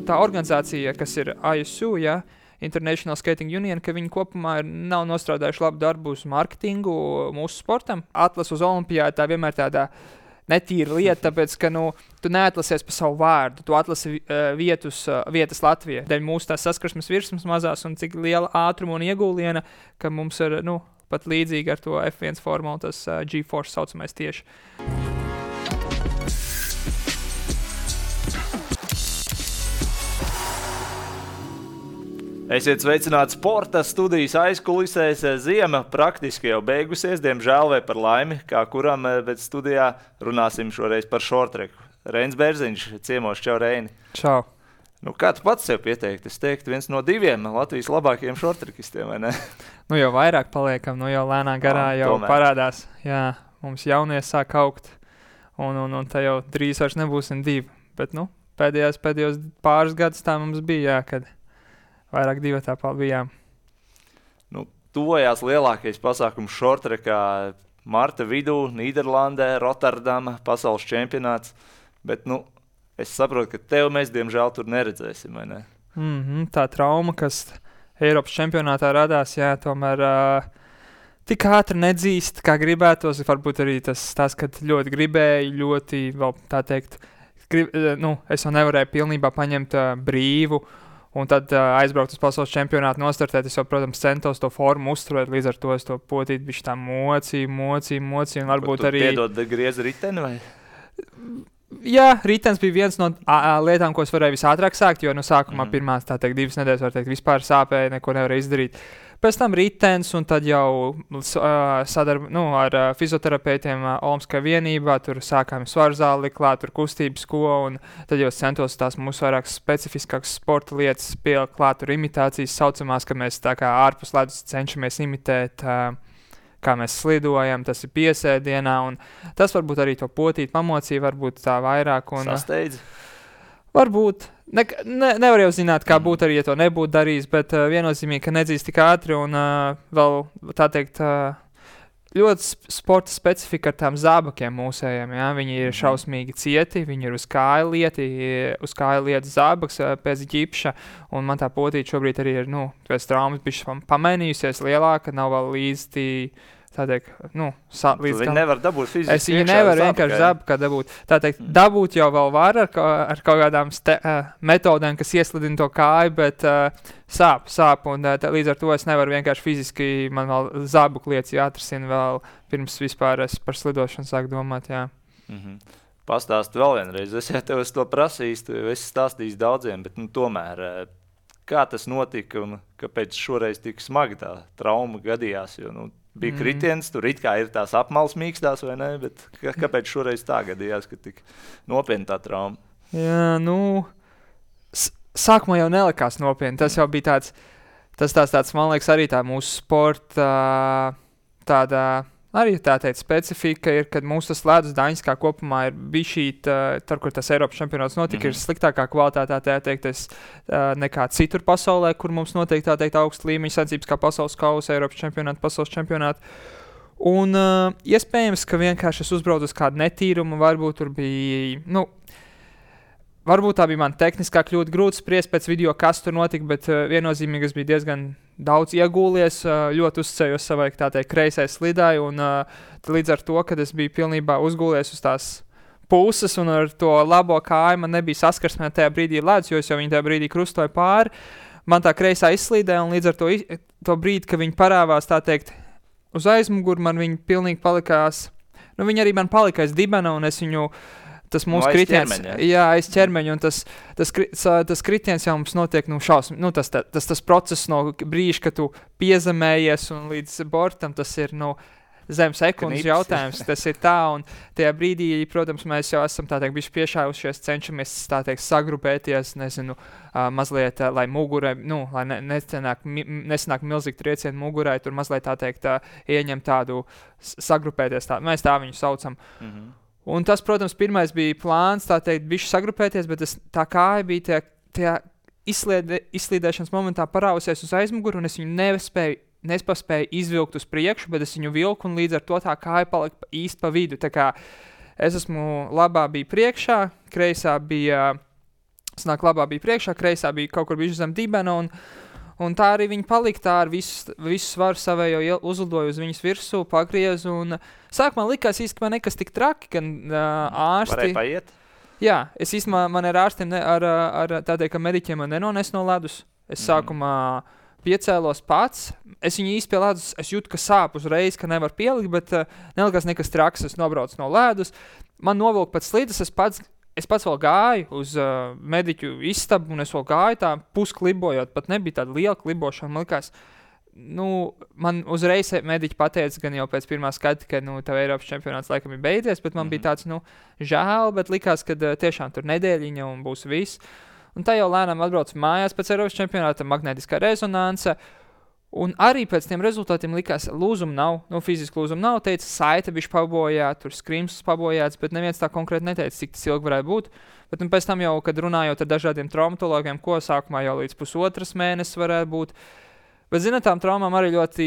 tā organizācija, kas ir ISU, ja, International Skating Union, ka viņi kopumā nav nostrādājuši labu darbu uz marketingu mūsu sportam. Atlas uz olimpiādu tā vienmēr tādā netīra lieta, tāpēc, ka tu neatlasies pa savu vārdu, tu atlasi vietas Latvijā. Dēļ mūsu tās saskarsmes virsmas mazās un cik liela ātruma un iegūliena, ka mums ir pat līdzīgi ar to F1 formulu, tas G-Force saucamais tieši. Esiet sveicināti sporta studijas aizkulisēs. Ziema praktiski jau beigusies, diemžēl vai par laimi, kā kuram, bet studijā runāsim šoreiz par šortreku. Reinis Bērziņš, ciemos, čau Reini. Čau. Kā tu pats sev pieteikt? Es teiktu, viens no 2 Latvijas labākajiem šortrekistiem, vai ne? Jau vairāk paliekam, jau lēnā garā jau tomēr parādās. Jā, mums jaunie sāk augt, un tā jau drīz vairs nebūsim 2. Bet, pēdējos pāris gadus tā mums bija, jā, kad vairāk 2 bijām. Tuvojās lielākais pasākums šortrekā marta vidū, Nīderlandē, Rotterdama, pasaules čempionāts. Bet, es saprotu, ka tev mēs, diemžēl, tur neredzēsim, vai ne? Tā trauma, kas Eiropas čempionātā radās, jā, tomēr tik ātri nedzīst, kā gribētos. Varbūt arī tas, kad ļoti gribēju, ļoti, vēl tā teikt, es jau nevarēju pilnībā paņemt brīvu, un tad aizbraukt uz pasaules čempionātu, nostartēt. Es jau, protams, centos to formu uzturēt, līdz ar to es to potīt bišķi tā mocīju, un varbūt arī... Piedod griezi riteni, vai? Jā, ritens bija viens no lietām, ko es varēju visātrāk sākt, jo sākumā pirmās, 2 nedēļas, var teikt, vispār sāpēja, neko nevarēju izdarīt. Pēc tam ritens, un tad jau ar fizioterapeitiem Olimpiskajā vienībā, tur sākām svaru zāli klāt, tur kustības ko, un tad jau centos tās mūsu vairāk specifiskākas sporta lietas pielikt klāt, tur imitācijas saucamās, ka mēs tā kā ārpus ledus cenšamies imitēt, kā mēs slidojam, tas ir piesēdienā, un tas varbūt arī to potīt pamocīja, varbūt tā vairāk. Sasteidzi? Varbūt. Nevar jau zināt, kā būtu arī, ja to nebūtu darījis, bet viennozīmīgi, ka nedzīst tik ātri, un vēl, tā teikt, ļoti sporta specifika ar tām zābakiem mūsējiem, jā. Viņi ir šausmīgi cieti, viņi ir uz kāju lietas zābaks pēc ģipša, un man tā potīt šobrīd arī ir, pēc traumas bišķi pamainījusies lielāka, nav vēl līdzi tā teikt, līdz viņi nevar dabūt fiziski. Es viņu nevaru vienkārši zābakā dabūt. Tā teikt, dabūt jau vēl var ar kaut kādām metodēm, kas ieslidina to kāju, bet sāp, un līdz ar to es nevaru vienkārši fiziski, man vēl zābaku lietas jāatrisina vēl pirms vispār es par slidošanu sāku domāt, jā. Pastāstu vēl vienreiz, es jau tev to prasījis, tu esi stāstījis daudziem, bet tomēr, kā tas notika un kāpēc šoreiz tik smagi tā trauma gadījās, jo, bija kritiens, tur it kā ir tās apmales mīkstās, vai ne, bet kāpēc šoreiz tā gadījās, ka tik nopietni tā trauma? Jā, sākumā jau nelikās nopietni, tas jau bija tāds, man liekas, arī tā mūsu sporta tāda, arī tā teikt, specifika ir, kad mūsu tas ledus daņas kā kopumā ir bišķīt, tur, kur tas Eiropas čempionāts notika, ir sliktākā kvalitātē, tā teikt, nekā citur pasaulē, kur mums notiek, tā teikt, augsta līmeņa sacības kā pasaules kausa, Eiropas čempionāti, pasaules čempionāti. Un iespējams, ka vienkārši es uzbraucu uz kādu netīrumu, varbūt tur bija, varbūt tā bija man tehniskā kļūda, grūti spriest pēc video, kas tur notika, bet viennozīmīgi es biju diezgan daudz iegūlies, ļoti uzticējos savai, tā teikt, kreisai slidai, un līdz ar to, kad es biju pilnībā uzgūlies uz tās puses, un ar to labo kāju man nebija saskarsmē tajā brīdī ledus, jo es jau viņu tajā brīdī krustoju pāri, man tā kreisā izslīdē, un līdz ar to brīdi, ka viņi parāvās, tā teikt, uz aizmuguru, man viņi pilnīgi palikās, viņi arī man palika aiz dibena, un es viņu tas mūsu kritiens, aiz ķermeņa, un tas kritiens jau mums notiek, tas process no brīža, kad tu piezemējies un līdz bortam, tas ir, zem sekundes jautājums, tas ir tā, un tajā brīdī, protams, mēs jau esam, tā teikt, bišķi piešāvušies, cenšamies, tā teikt, sagrupēties, mazliet, lai mugurai, lai nesanāk milzīgi triecieni mugurai, tur mazliet, tā teikt, ieņem tādu sagrupēties, mēs tā viņu saucam. Un tas, protams, pirmais bija plāns, tā teikt, bišķi sagrupēties, bet tā kāja bija tajā izslīdēšanas momentā parāvusies uz aizmuguru, un es viņu nepaspēju izvilkt uz priekšu, bet es viņu vilku, un līdz ar to tā kāja palika īsti pa vidu. Tā kā es esmu labā bija priekšā, kreisā bija Snāk labā bija priekšā, kreisā bija kaut kur bijuši zem dibena, un tā arī viņi palika, tā ar visu svaru savējo uzlidoju uz viņas virsū, pagriezu, un sākumā likās īstenībā nekas tik traki, gan ārsti... Varēja paiet? Jā, es īstenībā, man ar ārstiem, ar tādiem, ka mediķiem man nenones no ledus, es sākumā piecēlos pats, es viņu īsti pie ledus, es jūtu, ka sāp uzreiz, ka nevar pielikt, bet nelikās nekas traks, es nobraucu no ledus, man novilka pēc slīdes, es pats vēl gāju uz mediķu istabu, un es vēl gāju tā pusklibojot, pat nebija tāda liela klibošana, man likās, man uzreiz mediķi pateica, gan jau pēc pirmā skata, ka, tev Eiropas čempionāts laikam ir beidzies, bet man bija tāds, žēl, bet likās, ka tiešām tur nedēļiņa un būs viss. Un tā jau lēnām atbraucu mājās pēc Eiropas čempionāta, magnētiskā rezonanse, un arī pēc tiem rezultātiem likās, lūzuma nav, fiziski lūzuma nav, teica, saite bišķi pabojā, tur skrimsls pabojāts, bet neviens tā konkrēti neteica, cik tas ilgi varētu būt. Bet pēc tam jau, kad runājot ar dažādiem traumatologiem, ko sākumā jau līdz 1,5 mēnesis varētu būt, bet, zināt, tām traumām arī ļoti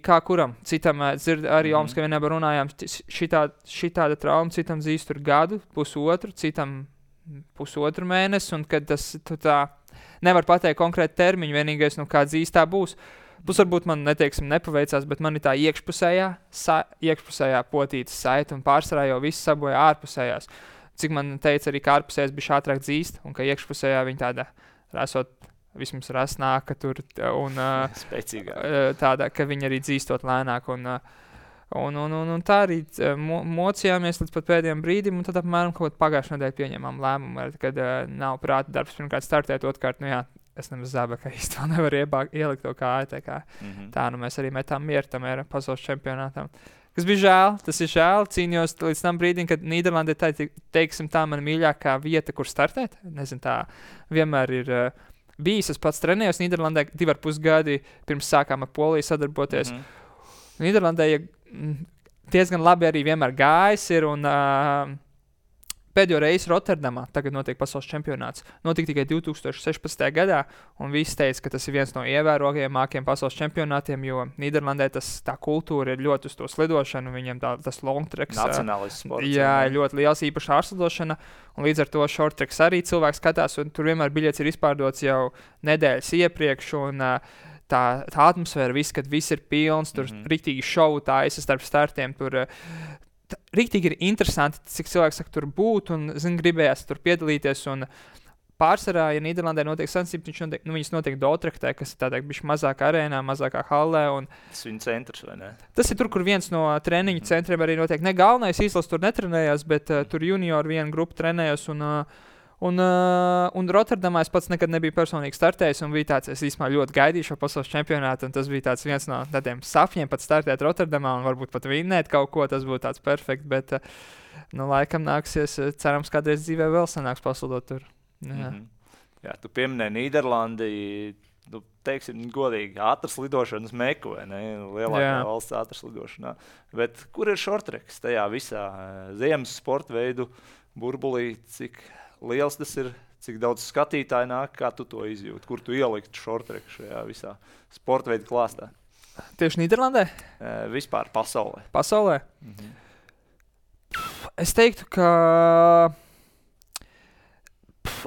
kā kuram. Citam, arī Omas, ka vienā runājām, šitāda trauma, citam zīst tur gadu, 1,5, citam 1,5 mēnesi, un kad tas tā nevar pateikt konkrēti termiņu, vienīgais, kā zīstā būs. Varbūt man, nepaveicās, bet man ir tā iekšpusējā potītas saita, un pārsvarā jau viss saboja ārpusējās. Cik man teica arī, ka ārpusējās bija ātrāk dzīst, un ka iekšpusējā viņa tāda rasot, vismaz rasnāka tur, un tāda, ka viņa arī dzīstot lēnāk, un tā arī mocījāmies līdz pat pēdējiem brīdim, un tad apmēram kaut pagājušajā nedēļā pieņemām lēmumu, kad nav prāta darbs pirmkārt startēt, otrkārt, es nemaz zābekā īsti vēl nevaru ielikt to kāju, tā mēs arī metām mieru tam ir pasaules čempionātam. Kas bija žēl, tas ir žēl, cīnījos līdz tam brīdim, kad Nīderlandē tā mana mīļākā vieta, kur startēt, nezinu, tā vienmēr ir bijis, es pats trenējos Nīderlandē 2,5 gadi, pirms sākām ar Poliju sadarboties. Nīderlandē diezgan labi arī vienmēr gājis ir, un pēdējo reizi Rotterdamā, tagad notiek pasaules čempionāts, notika tikai 2016. gadā, un visi teica, ka tas ir viens no ievērojamākajiem pasaules čempionātiem, jo Nīderlandē tā kultūra ir ļoti uz to slidošanu, viņiem tas longtreks. Nacionālis sports. Jā, ļoti liels īpaši ārslidošana, un līdz ar to shorttreks arī cilvēks skatās, un tur vienmēr biļets ir izpārdots jau nedēļas iepriekš, un tā atmosfēra, kad viss ir pilns, tur riktīgi šovu taisa starp startiem, tur riktīgi ir interesanti, cik cilvēks saka tur būt, un, gribējās tur piedalīties, un pārsvarā, ja Nīderlandē notiek sacensības, viņas notiek Dordrechtē, kas ir tādā bišķi mazākā arēnā, mazākā hallē, un tas viņa centrs, vai ne? Tas ir tur, kur viens no treniņu centriem arī notiek. Ne galvenais izlases tur netrenējās, bet tur juniori viena grupa trenējās, un Rotterdamā es pats nekad nebiju personīgi startējis, un bija tāds, es īstenībā ļoti gaidīju šo pasaules čempionātu, un tas bija tāds viens no tādiem sapņiem pat startēt Rotterdamā, un varbūt pat vinnēt kaut ko, tas būtu tāds perfekt, bet, laikam nāksies, cerams, kādreiz dzīvē vēl sanāks paslidot tur. Jā, tu pieminēji Nīderlandi, teiksim, godīgi, ātras lidošanas meku, vai ne? Lielākā valsts ātras lidošanā. Bet kur ir shorttreks tajā visā ziemas sporta veidu burbulī, cik liels tas ir, cik daudz skatītāji nāk, kā tu to izjūti, kur tu ieliktu shorttreku šajā visā sporta veidu klāstā? Tieši Nīderlandē? Vispār pasaulē. Pasaulē? Es teiktu, ka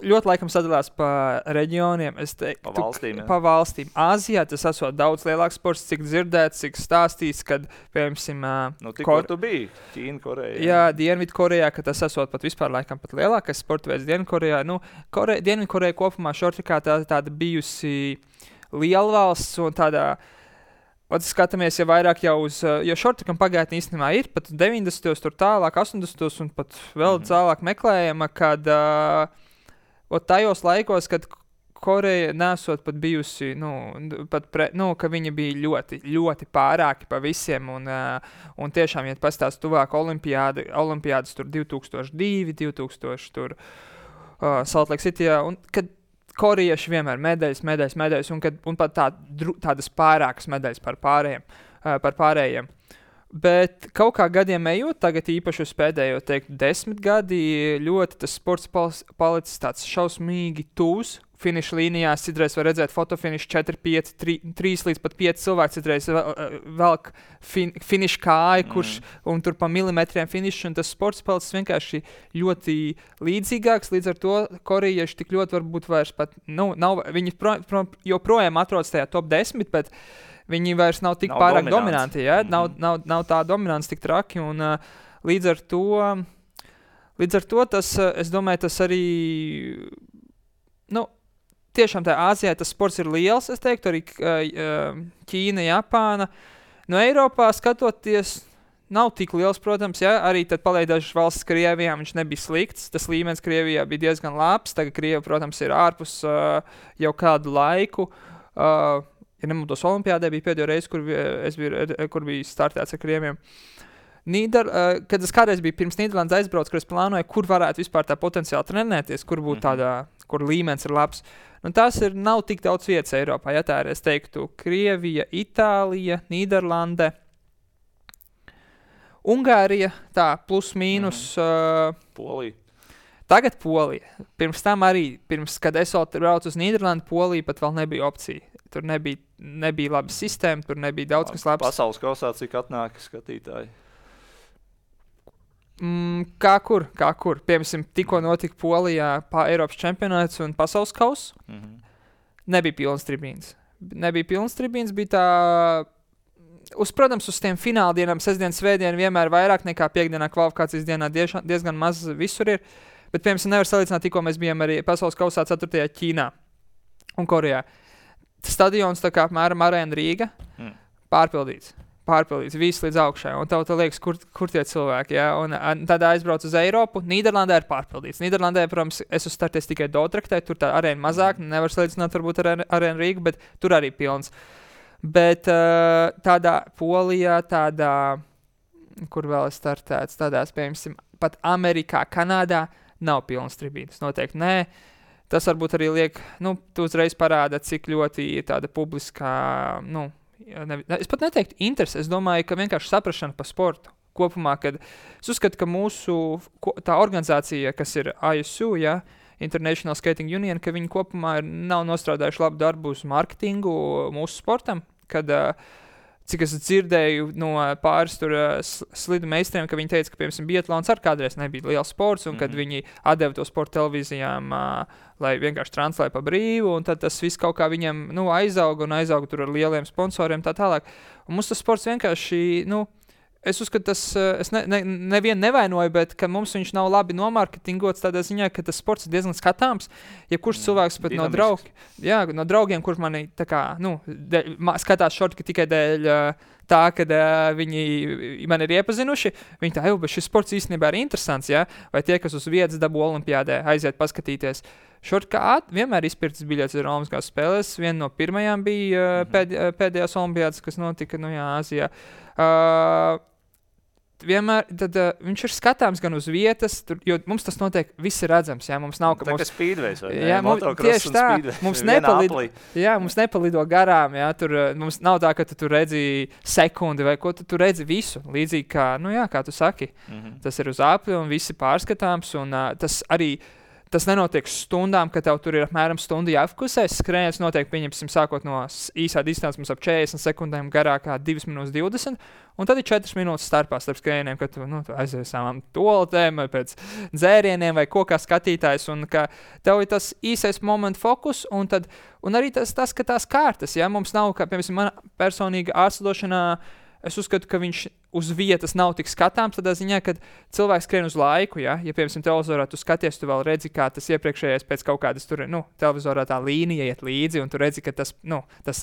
ļoti laikam sadalās pa reģioniem. Pa valstīm, jā. Pa valstīm. Āzijā tas esot daudz lielāks sports, cik dzirdēts, cik stāstīts, kad, piemēram, tikko tu biji Ķīna, Koreja. Jā, Dienvidkorejā, ka tas esot pat vispār laikam pat lielākais sporta veids Dienvidkorejā. Dienvidkoreja kopumā šortikā tāda bijusi lielvalsts un tādā, skatāmies jau vairāk jau uz, jo šortikam pagātnē īstenībā ir, pat 90. tur tālāk, 80. un pat vēl tālāk meklējama, kad tajos laikos, kad Koreja nesot pat bijusi, ka viņa bija ļoti, ļoti pārāki pa visiem, un tiešām, ja pastāst tuvāk olimpiādas tur 2002, 2000 tur Salt Lake Cityjā, un kad korejieši vienmēr medaļas, un pat tādas pārākas medaļas par pārējiem. Bet kaut kā gadiem ejot, tagad īpaši uz pēdējo, 10 gadi, ļoti tas sports palicis tāds šausmīgi tūs finiša līnijās, citreiz var redzēt fotofinišu 4, 5, 3 līdz pat 5 cilvēki, citreiz velk finiša kāju, un tur pa milimetriem finišu, un tas sports palicis vienkārši ļoti līdzīgāks, līdz ar to korejieši tik ļoti varbūt vairs pat, nav, viņi joprojām atrodas tajā top 10, bet viņi vairs nav tik pārāk dominanti, ja? Nav tā dominants tik traki, un līdz ar to tas, es domāju, tas arī, tiešām tā Āzijā tas sports ir liels, es teiktu, arī Ķīna, Japāna. No Eiropā skatoties, nav tik liels, protams, ja, arī tad paliek dažas valsts Krievijā, viņš nebija slikts, tas līmenis Krievijā bija diezgan labs, tagad Krieva, protams, ir ārpus jau kādu laiku. Ja nemaldos, Olimpiādē bija pēdējo reizi, kur bija startēts ar Krieviem. Kad es kādreiz biju pirms Nīderlandes aizbrauc, kur es plānoju, kur varētu vispār tā potenciāli trenēties, kur būtu tādā, kur līmenis ir labs. Tās nav tik daudz vietas Eiropā, ja tā ir, es teiktu, Krievija, Itālija, Nīderlande, Ungārija, tā, plus mīnus. Polija. Tagad Polija. Pirms tam arī, kad es braucu uz Nīderlandi, Polija pat vēl nebija opcija. Tur nebija laba sistēma, tur nebija daudz kas labs. Pasaules kausā, cik atnāk skatītāji? Kā kur. Piemēram, tikko notika Polijā Eiropas čempionāts un pasaules kauss. Nebija pilns tribīns. Bija tā, protams, uz tiem fināldienām, sestdien, svētdien vienmēr vairāk nekā piekdienā kvalifikācijas dienā diezgan maz visur ir. Bet, piemēram, nevar salīdzināt, tikko mēs bijām arī pasaules kausā 4. Ķīnā un Korejā. Stadions tā kā apmēram Arēna Rīga pārpildīts, viss līdz augšai, un tev liekas, kur tie cilvēki, ja? Un tad aizbrauc uz Eiropu, Nīderlandē ir pārpildīts. Nīderlandē, protams, es uzstarties tikai Dotraktē, tur tā arēna mazāk, nevar salīdzināt varbūt ar Arēna Rīgu, bet tur arī pilns. Bet tādā Polijā, kur vēl es startēts, tādās, piemēram, pat Amerikā, Kanādā nav pilns tribīnas, noteikti nē. Tas varbūt arī liek, tu uzreiz parāda, cik ļoti tāda publiskā, es pat neteiktu interesi, es domāju, ka vienkārši saprašana par sportu kopumā, kad es uzskatu, ka mūsu tā organizācija, kas ir ISU, ja, International Skating Union, ka viņi kopumā nav nostrādājuši labu darbu uz marketingu mūsu sportam, kad, cik es dzirdēju no pāris tur slidu meistariem, ka viņi teica, ka, piemēram, biatlons ar kādreiz nebija liels sports, un kad viņi atdeva to sportu televīzijām, lai vienkārši translē pa brīvu, un tad tas viss kaut kā viņiem, aizauga tur ar lieliem sponsoriem tā tālāk. Un mums tas sports vienkārši, es uzskatu, tas, es nevienu nevainoju, bet ka mums viņš nav labi nomarketingots tādā ziņā, ka tas sports ir diezgan skatāms. Ja kurš cilvēks pat no draugiem, kurš mani tā kā, skatās šorti tikai dēļ tā, kad viņi mani ir iepazinuši, viņi tā, bet šis sports īstenībā ir interesants, ja? Vai tie, kas uz vietas dabū Olimpiādē, aiziet paskatīties. Šortkā vienmēr izpirktas biļetes ir Olimpiskās spēles. Viena no pirmajām bija pēdējās Olimpiādas, kas notika, Āzijā. Vienmēr tad, viņš ir skatāms gan uz vietas, jo mums tas notiek, viss ir redzams. Jā, mums nav, tā kā speedways vai ne? Jā, tieši tā, mums nepalido garām. Jā, tur, mums nav tā, ka tu redzi sekundi vai ko, tu redzi visu. Līdzīgi kā, kā tu saki. Tas ir uz apli un visi pārskatāms. Un tas arī tas nenotiek stundām, ka tev tur ir apmēram stundu jāfokusēs. Skrējiens notiek, pieņemsim, sākot no īsā distances mums ap 40 sekundēm garākā 2 minūtes 20, un tad ir 4 minūtes starp skrējieniem, kad tu aizies savām toaletēm vai pēc dzērieniem vai ko kā skatītājs, un ka tev ir tas īsais momentu fokus, un arī tas, ka tās kārtas, ja mums nav, kā, piemēram, mana personīga ārstdošanā, es uzskatu, ka viņš uz vietas nav tik skatāms, tādā ziņā, kad cilvēks skrien uz laiku, ja piemēram, televizorā tu skaties, tu vēl redzi, kā tas iepriekšējais pēc kaut kādas tur, televizorā tā līnija iet līdzi, un tu redzi, ka tas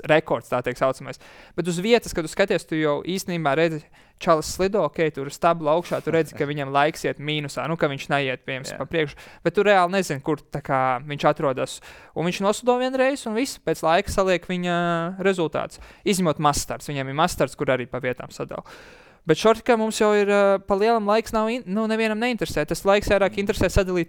rekords, tā tiek saucamais. Bet uz vietas, kad tu skaties, tu jau īstenībā redzi, čalis slido, tur stabla augšā, tu redzi, ka viņam laiks iet mīnusā, ka viņš neiet, piemēram, pa priekšu, bet tu reāli nezini, kur tā kā viņš atrodas. Un viņš noslido vienreiz, un viss pēc laika saliek viņa rezultāts. Izņemot mazstarts, viņam ir mazstarts, kur arī pa vietām sadala. Bet šortikā mums jau ir pa lielam laiks nav, nevienam neinteresē. Tas laiks vairāk interesē sadalīt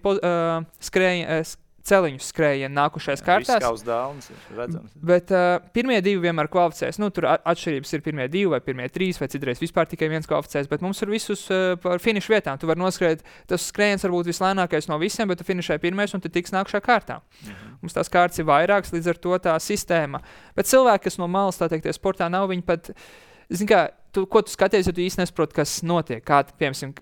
celiņu skrējienu nākušais kārtās. Viss kā uz dāvnas ir redzams. Bet pirmie 2 vienmēr kvalificēs. Tur atšķirības ir pirmie 2 vai pirmie 3 vai citreiz vispār tikai viens kvalificēs, bet mums ir visus par finišu vietām. Tu vari noskrēt, tas skrējiens var būt vislēnākais no visiem, bet tu finišē pirmais un tu tiks nākušā kārtā. Mums tās kārtas ir vairākas, līdz ar to tā sistēma. Bet cilvēki, kas no malas, tā teikt, sportā nav, viņi pat, zin kā, ko tu skaties, ja tu īsti nesaproti, kas notiek. Kā, piemēram,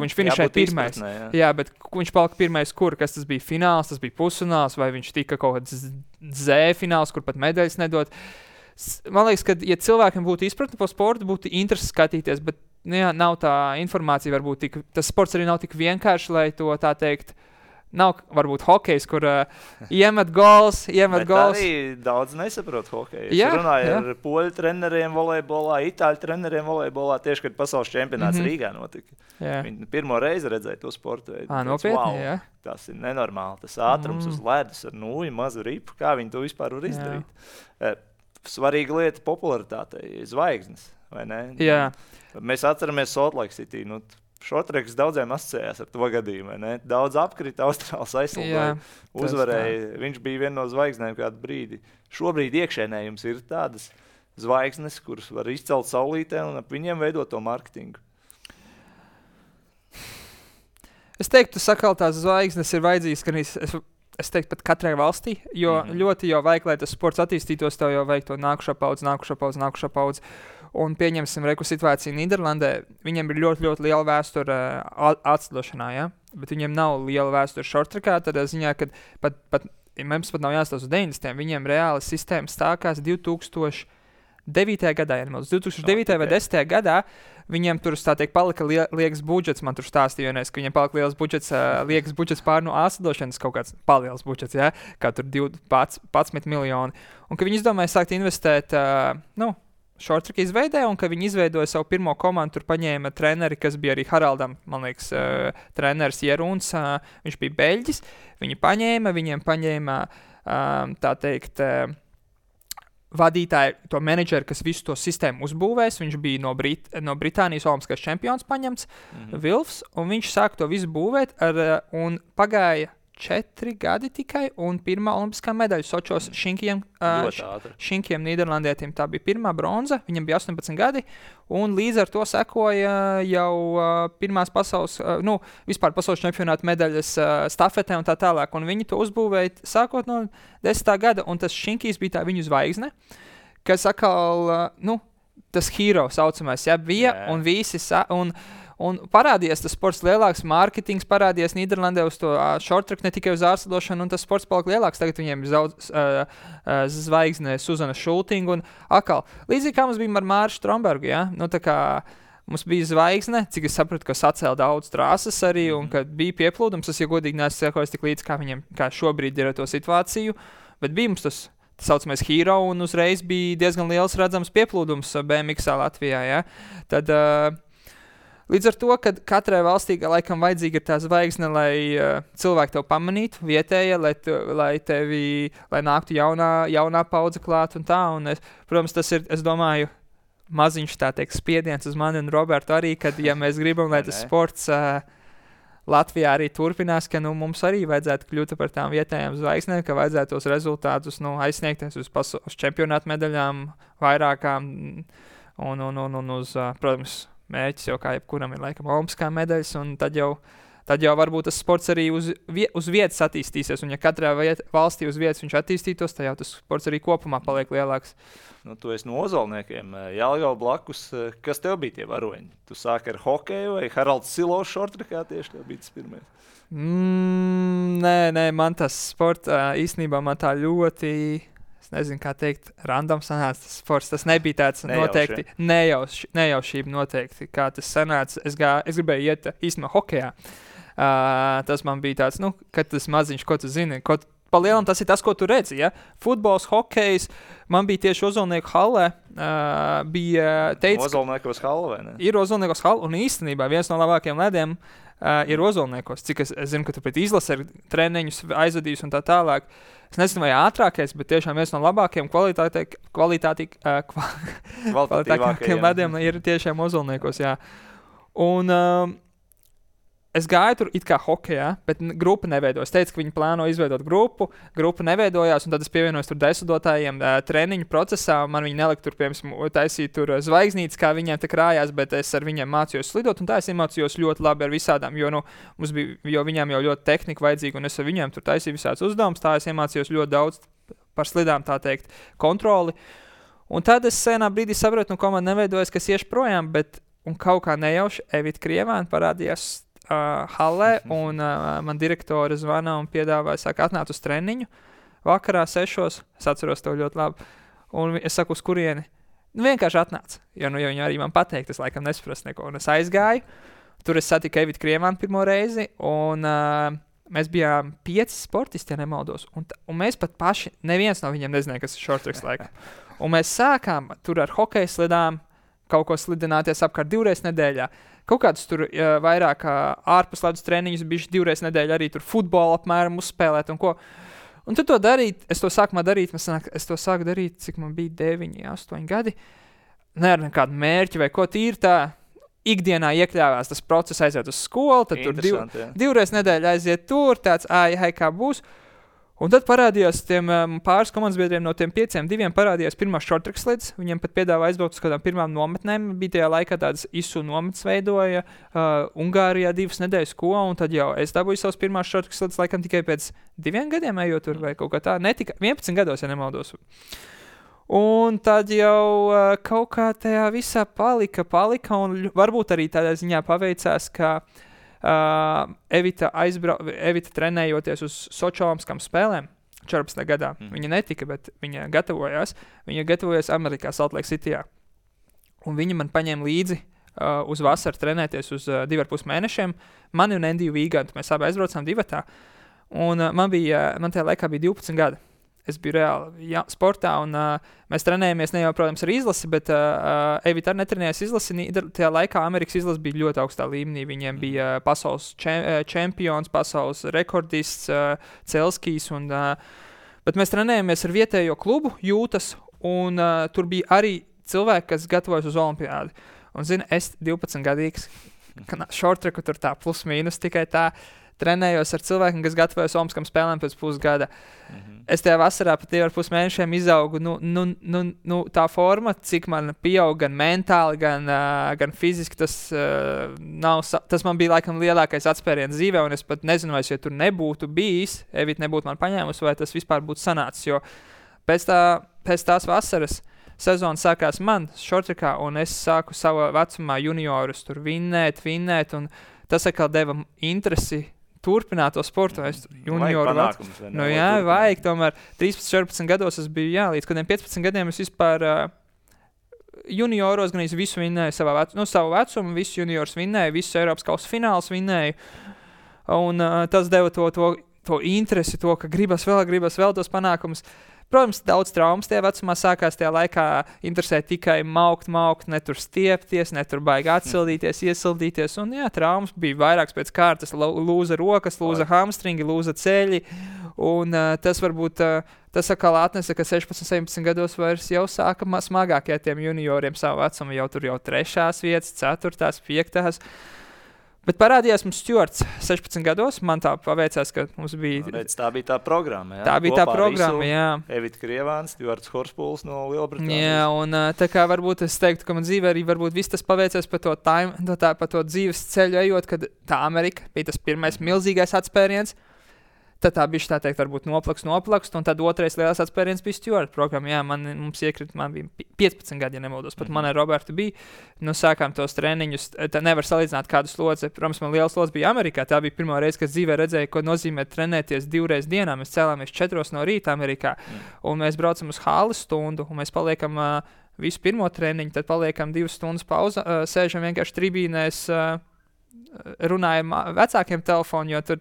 viņš finišēja pirmais. Jā, bet viņš palika pirmais, kas tas bija fināls, tas bija pusfināls, vai viņš tika kaut kāds Z fināls, kur pat medaļas nedod. Man liekas, ka, ja cilvēkiem būtu izpratne par sportu, būtu interesi skatīties, bet jā, nav tā informācija, varbūt tas sports arī nav tik vienkārši, lai to tā teikt. Nav varbūt hokejs, kur iemet gols. Arī daudz nesaprot hokeju. Es runāju ar poļu treneriem volejbolā, itāļu treneriem volejbolā, tieši, kad pasaules čempionāts Rīgā notika. Viņi pirmo reizi redzēja to sportu veidu. Nopietni, wow, tas ir nenormāli. Tas ātrums uz ledus ar nūju, mazu ripu. Kā viņi to vispār var izdarīt? Svarīga lieta popularitātei, zvaigznes, vai ne? Jā. Mēs atceramies Salt Lake City, Šortreks daudziem asociējās ar to gadījumu. Daudz apkrita, Austrāls aizsildoja, uzvarēja. Viņš bija viena no zvaigznēm kādu brīdi. Šobrīd iekšēnē jums ir tādas zvaigznes, kuras var izcelt saulītē un ap viņiem veidot to marketingu. Es teiktu, sakal, tās zvaigznes ir vajadzīgas, ka es teiktu pat katrai valstī, jo ļoti jau vajag, lai tas sports attīstītos, tev jau vajag to nākušā paudze. Un pieņemsim situāciju Nīderlandē. Viņiem ir ļoti, ļoti liela vēsture atslidošanā, ja? Bet viņiem nav liela vēsture šortrekā, tādā ziņā, ka mums pat nav jāstāsta uz 90. Viņiem reāli sistēma stākās 2009. gadā, ja nemaldos, 2009. vai 10. gadā. Viņiem tur, tā teikt, palika liekas budžets, man tur stāstīja vienreiz, ka viņiem palika liekas budžets pār no āslidošanas, kaut kāds paliels budžets, ja? Kā tur 12 miljoni. Un ka viņi izdomāja sākt investēt, šortreka izveidē, un ka viņi izveidoja savu pirmo komandu, tur paņēma treneri, kas bija arī Haraldam, man liekas, treneris Jeruns, viņš bija beļģis, viņiem paņēma, tā teikt, vadītāju, to menedžeru, kas visu to sistēmu uzbūvēs, viņš bija no Britānijas olimpiskais čempions paņemts, Vilfs, un viņš sāk to visu būvēt, un pagāja 4 gadi tikai, un pirmā olimpiskā medaļa Sočos Šinkiem Nīderlandietim. Tā bija pirmā bronza, viņam bija 18 gadi, un līdz ar to sekoja jau pirmās vispār pasaules čempionāta medaļas stafetē un tā tālāk, un viņi to uzbūvēja sākot no 10. gada, un tas Šinkijs bija tā viņu zvaigzne, kas atkal, tas hero saucamais, bija, un visi, un parādījās tas sports lielāks, mārketings parādījās Nīderlandē uz to šortreku, ne tikai uz ārslidošanu, un tas sports palika lielāks. Tagad viņiem ir zvaigzne Suzana Šultinga, un atkal, līdzīgi kā mums bija ar Māru Strombergu, ja? Tā kā mums bija zvaigzne, cik es sapratu, ka sacēla daudz trāsas arī, un kad bija pieplūdums, es, ja godīgi neesmu sekojis tik līdz, kā šobrīd ir ar to situāciju, bet bija mums tas saucamais hero, un uzreiz bija diezgan liels redzams pieplūdums BMX Latvijā, ja? Tad, līdz ar to, ka katrai valstī laikam vajadzīga ir tā zvaigzne, lai cilvēki tev pamanītu vietējie, lai nāktu jaunā paudze klāt un tā. Un protams, tas ir, es domāju, maziņš tā teikt spiediens uz mani un Robertu arī, kad, ja mēs gribam, lai tas sports Latvijā arī turpinās, ka mums arī vajadzētu kļūt par tām vietējām zvaigznēm, ka vajadzētu tos rezultātus aizsniegties uz čempionāta medaļām vairākām un uz, protams, mērķis jau kā jebkuram ir laikam olimpiskā medaļas, un tad jau varbūt tas sports arī uz vietas attīstīsies, un ja katrā valstī uz vietas viņš attīstītos, tad jau tas sports arī kopumā paliek lielāks. Tu esi no Ozolniekiem, Jelgava blakus, kas tev bija tie varoņi? Tu sāki ar hokeju vai Haralds Silovs šortrekā tieši tev bija tas pirmais? Nē, man tas sports īstenībā man tā ļoti... Es nezinu, kā teikt, random sanāca tas sports. Tas nebija tāds noteikti nejaušība noteikti, kā tas sanāca. Es gribēju iet īstenībā hokejā. Tas man bija tāds, kad tas maziņš, ko tu zini, pa lielam tas ir tas, ko tu redzi, ja? Futbols, hokejs, man bija tieši Ozolnieku hallē, Ozolniekos halla, vai ne? Ir Ozolniekos halla, un īstenībā viens no labākajiem lediem ir Ozolniekos. Cik es zinu, ka tu pret izlasi ar treniņus aizvadījus un tā tālāk. Es nezinu, vai ātrākais, bet tiešām viens no labākajiem kvalitātīgākiem lediem ir tiešām Ozolniekos, jā. Un es gāju tur it kā hokejā, bet grupa neveidojas. Es teicu, ka viņi plāno izveidot grupa neveidojās, un tad es pievienojos tur desmitotājiem treniņu procesā, un man viņi nelika tur, piemēram, taisīt tur zvaigznītes, kā viņiem te krājās, bet es ar viņiem mācījos slidot, un tā es iemācījos ļoti labi ar visādām, jo viņiem jau ļoti tehnika vajadzīga, un es ar viņiem tur taisīju visāds uzdevumus, tā es iemācījos ļoti daudz par slidām, tā teikt, kontroli. Un tad es senā brīdī sapratu, komanda neveidojas, kas iešu projām, un kaut kā nejauši Evita Krievāna parādījās hallē, un man direktore zvana un piedāvāja, saka, atnāc uz treniņu vakarā 6, es atceros to ļoti labi, un es saku, uz kurieni? Vienkārši atnāc, jo viņi arī man pateikt, es laikam nesaprastu neko, un es aizgāju, tur es satiku Evitu Krievānu pirmo reizi, un mēs bijām 5 sportisti, ja nemaldos, un mēs pat paši, neviens no viņiem nezināja, kas ir short tracks laikam, un mēs sākām tur ar hokeja slidām, kaut ko slidināties apkārt 2 reizes nedēļā. Kaut kādus tur vairāk ārpus ledus treniņus bijuši 2 reizes nedēļā arī tur futbolu apmēram uzspēlēt un ko. Un tad to darīt, es to sāku darīt, cik man bija 9, 8 gadi. Ne ar nekādu mērķi vai ko tīri tā. Ikdienā iekļāvās tas process aiziet uz skolu, tad tur 2 reizes nedēļā aiziet tur, tāds kā būs. Un tad parādījās tiem pāris komandas biedriem no tiem 5, 2 parādījās pirmā short track slids. Viņiem pat piedāvā aizbraukt uz kādām pirmām nometnēm. Bija tajā laikā tādas ISU nometnes veidoja Ungārijā 2 nedēļas ko, un tad jau es dabūju savus pirmās short track slids laikam tikai pēc 2 gadiem ejot tur vai kaut kā tā. Netika 11 gados, ja nemaldos. Un tad jau kaut kā tajā visā palika, un varbūt arī tādā ziņā paveicās, ka Evita trenējoties uz Sočolamskām spēlēm 14. gadā. Viņa netika, bet viņa gatavojās. Viņa gatavojās Amerikā, Salt Lake Cityjā. Un viņa man paņēma līdzi uz vasaru trenēties uz 2,5 mēnešiem. Mani un Endiju Vīgantu, mēs abi aizbraucām divatā. Un man tajā laikā bija 12 gadi. Es biju reāli sportā, un mēs trenējamies ne jau, protams, ar izlasi, bet Evita arī netrenējās izlasi. Tajā laikā Amerikas izlase bija ļoti augstā līmenī. Viņiem bija pasaules čempions, pasaules rekordists, Celskijs. Bet mēs trenējamies ar vietējo klubu, Jūtas, un tur bija arī cilvēki, kas gatavojas uz olimpiādi. Un, zini, es 12 gadīgs, short tracku tur tā plus mīnus tikai tā, trenējos ar cilvēkiem, kas gatavojas Olimpiskām spēlēm pēc pusgada. Es tajā vasarā pat 2,5 mēnešiem izaugu tā forma, cik man pieaug gan mentāli, gan fiziski. Tas man bija laikam lielākais atspēriens dzīvē, un es pat nezinu, vai es tur nebūtu bijis, Evita nebūtu man paņēmusi, vai tas vispār būtu sanācis, jo pēc tās vasaras sezona sākās man šortrekā, un es sāku savā vecumā juniorus tur vinnēt, un tas atkal deva interesi turpināt to sportu. Vajag tomēr 13-14 gados es biju, līdz kādiem 15 gadiem es vispār junioros gan visu vinnēju savu vecumu, visu juniors vinnēju, visu Eiropas kausa fināls vinnēju, un tas deva to interesi, to, ka gribas vēl tos panākumus. Protams, daudz traumas tajā vecumā sākās tajā laikā interesē tikai maukt, ne tur stiepties, ne tur baigi atsildīties, iesildīties. Un traumas bija vairākas pēc kārtas, lūza rokas, lūza hamstringi, lūza ceļi. Un tas varbūt, tas atkal atnesa, ka 16, 17 gados vairs jau sāka smagākie tiem junioriem savu vecumu, jau tur jau 3. vietas, 4., 5. Bet parādījās mums Stuarts 16 gados. Man tā paveicās, ka mums bija... Tā bija tā programma, jā? Tā bija tā programma, jā. Evita Krievāna, Stuarts Horspuls no Lielbritānijas. Jā, un tā kā varbūt es teiktu, ka man dzīvē arī varbūt viss tas paveicās pa to dzīves ceļu ejot, kad tā Amerika bija tas pirmais milzīgais atspēriens. Tad tā bija tā teikt, varbūt noplakst, un tad otrais lielais atspēriens bija Stuart programma. Jā, mums iekrita, man bija 15 gadi, ja nemaldos, pat man ar Robertu bija. Sākām tos treniņus, tā nevar salīdzināt kādu slodzi. Protams, man liela slodze bija Amerikā, tā bija pirmā reize, kad dzīvē redzēju, ko nozīmē trenēties 2 reizes dienā. Mēs cēlāmies 4 no rīta Amerikā, un mēs braucam uz halli stundu, un mēs paliekam visu pirmo treniņu, tad paliekam 2 stundas pauza, sēžam vienkārši tribīnēs, runājam vecākiem telefonu, jo tur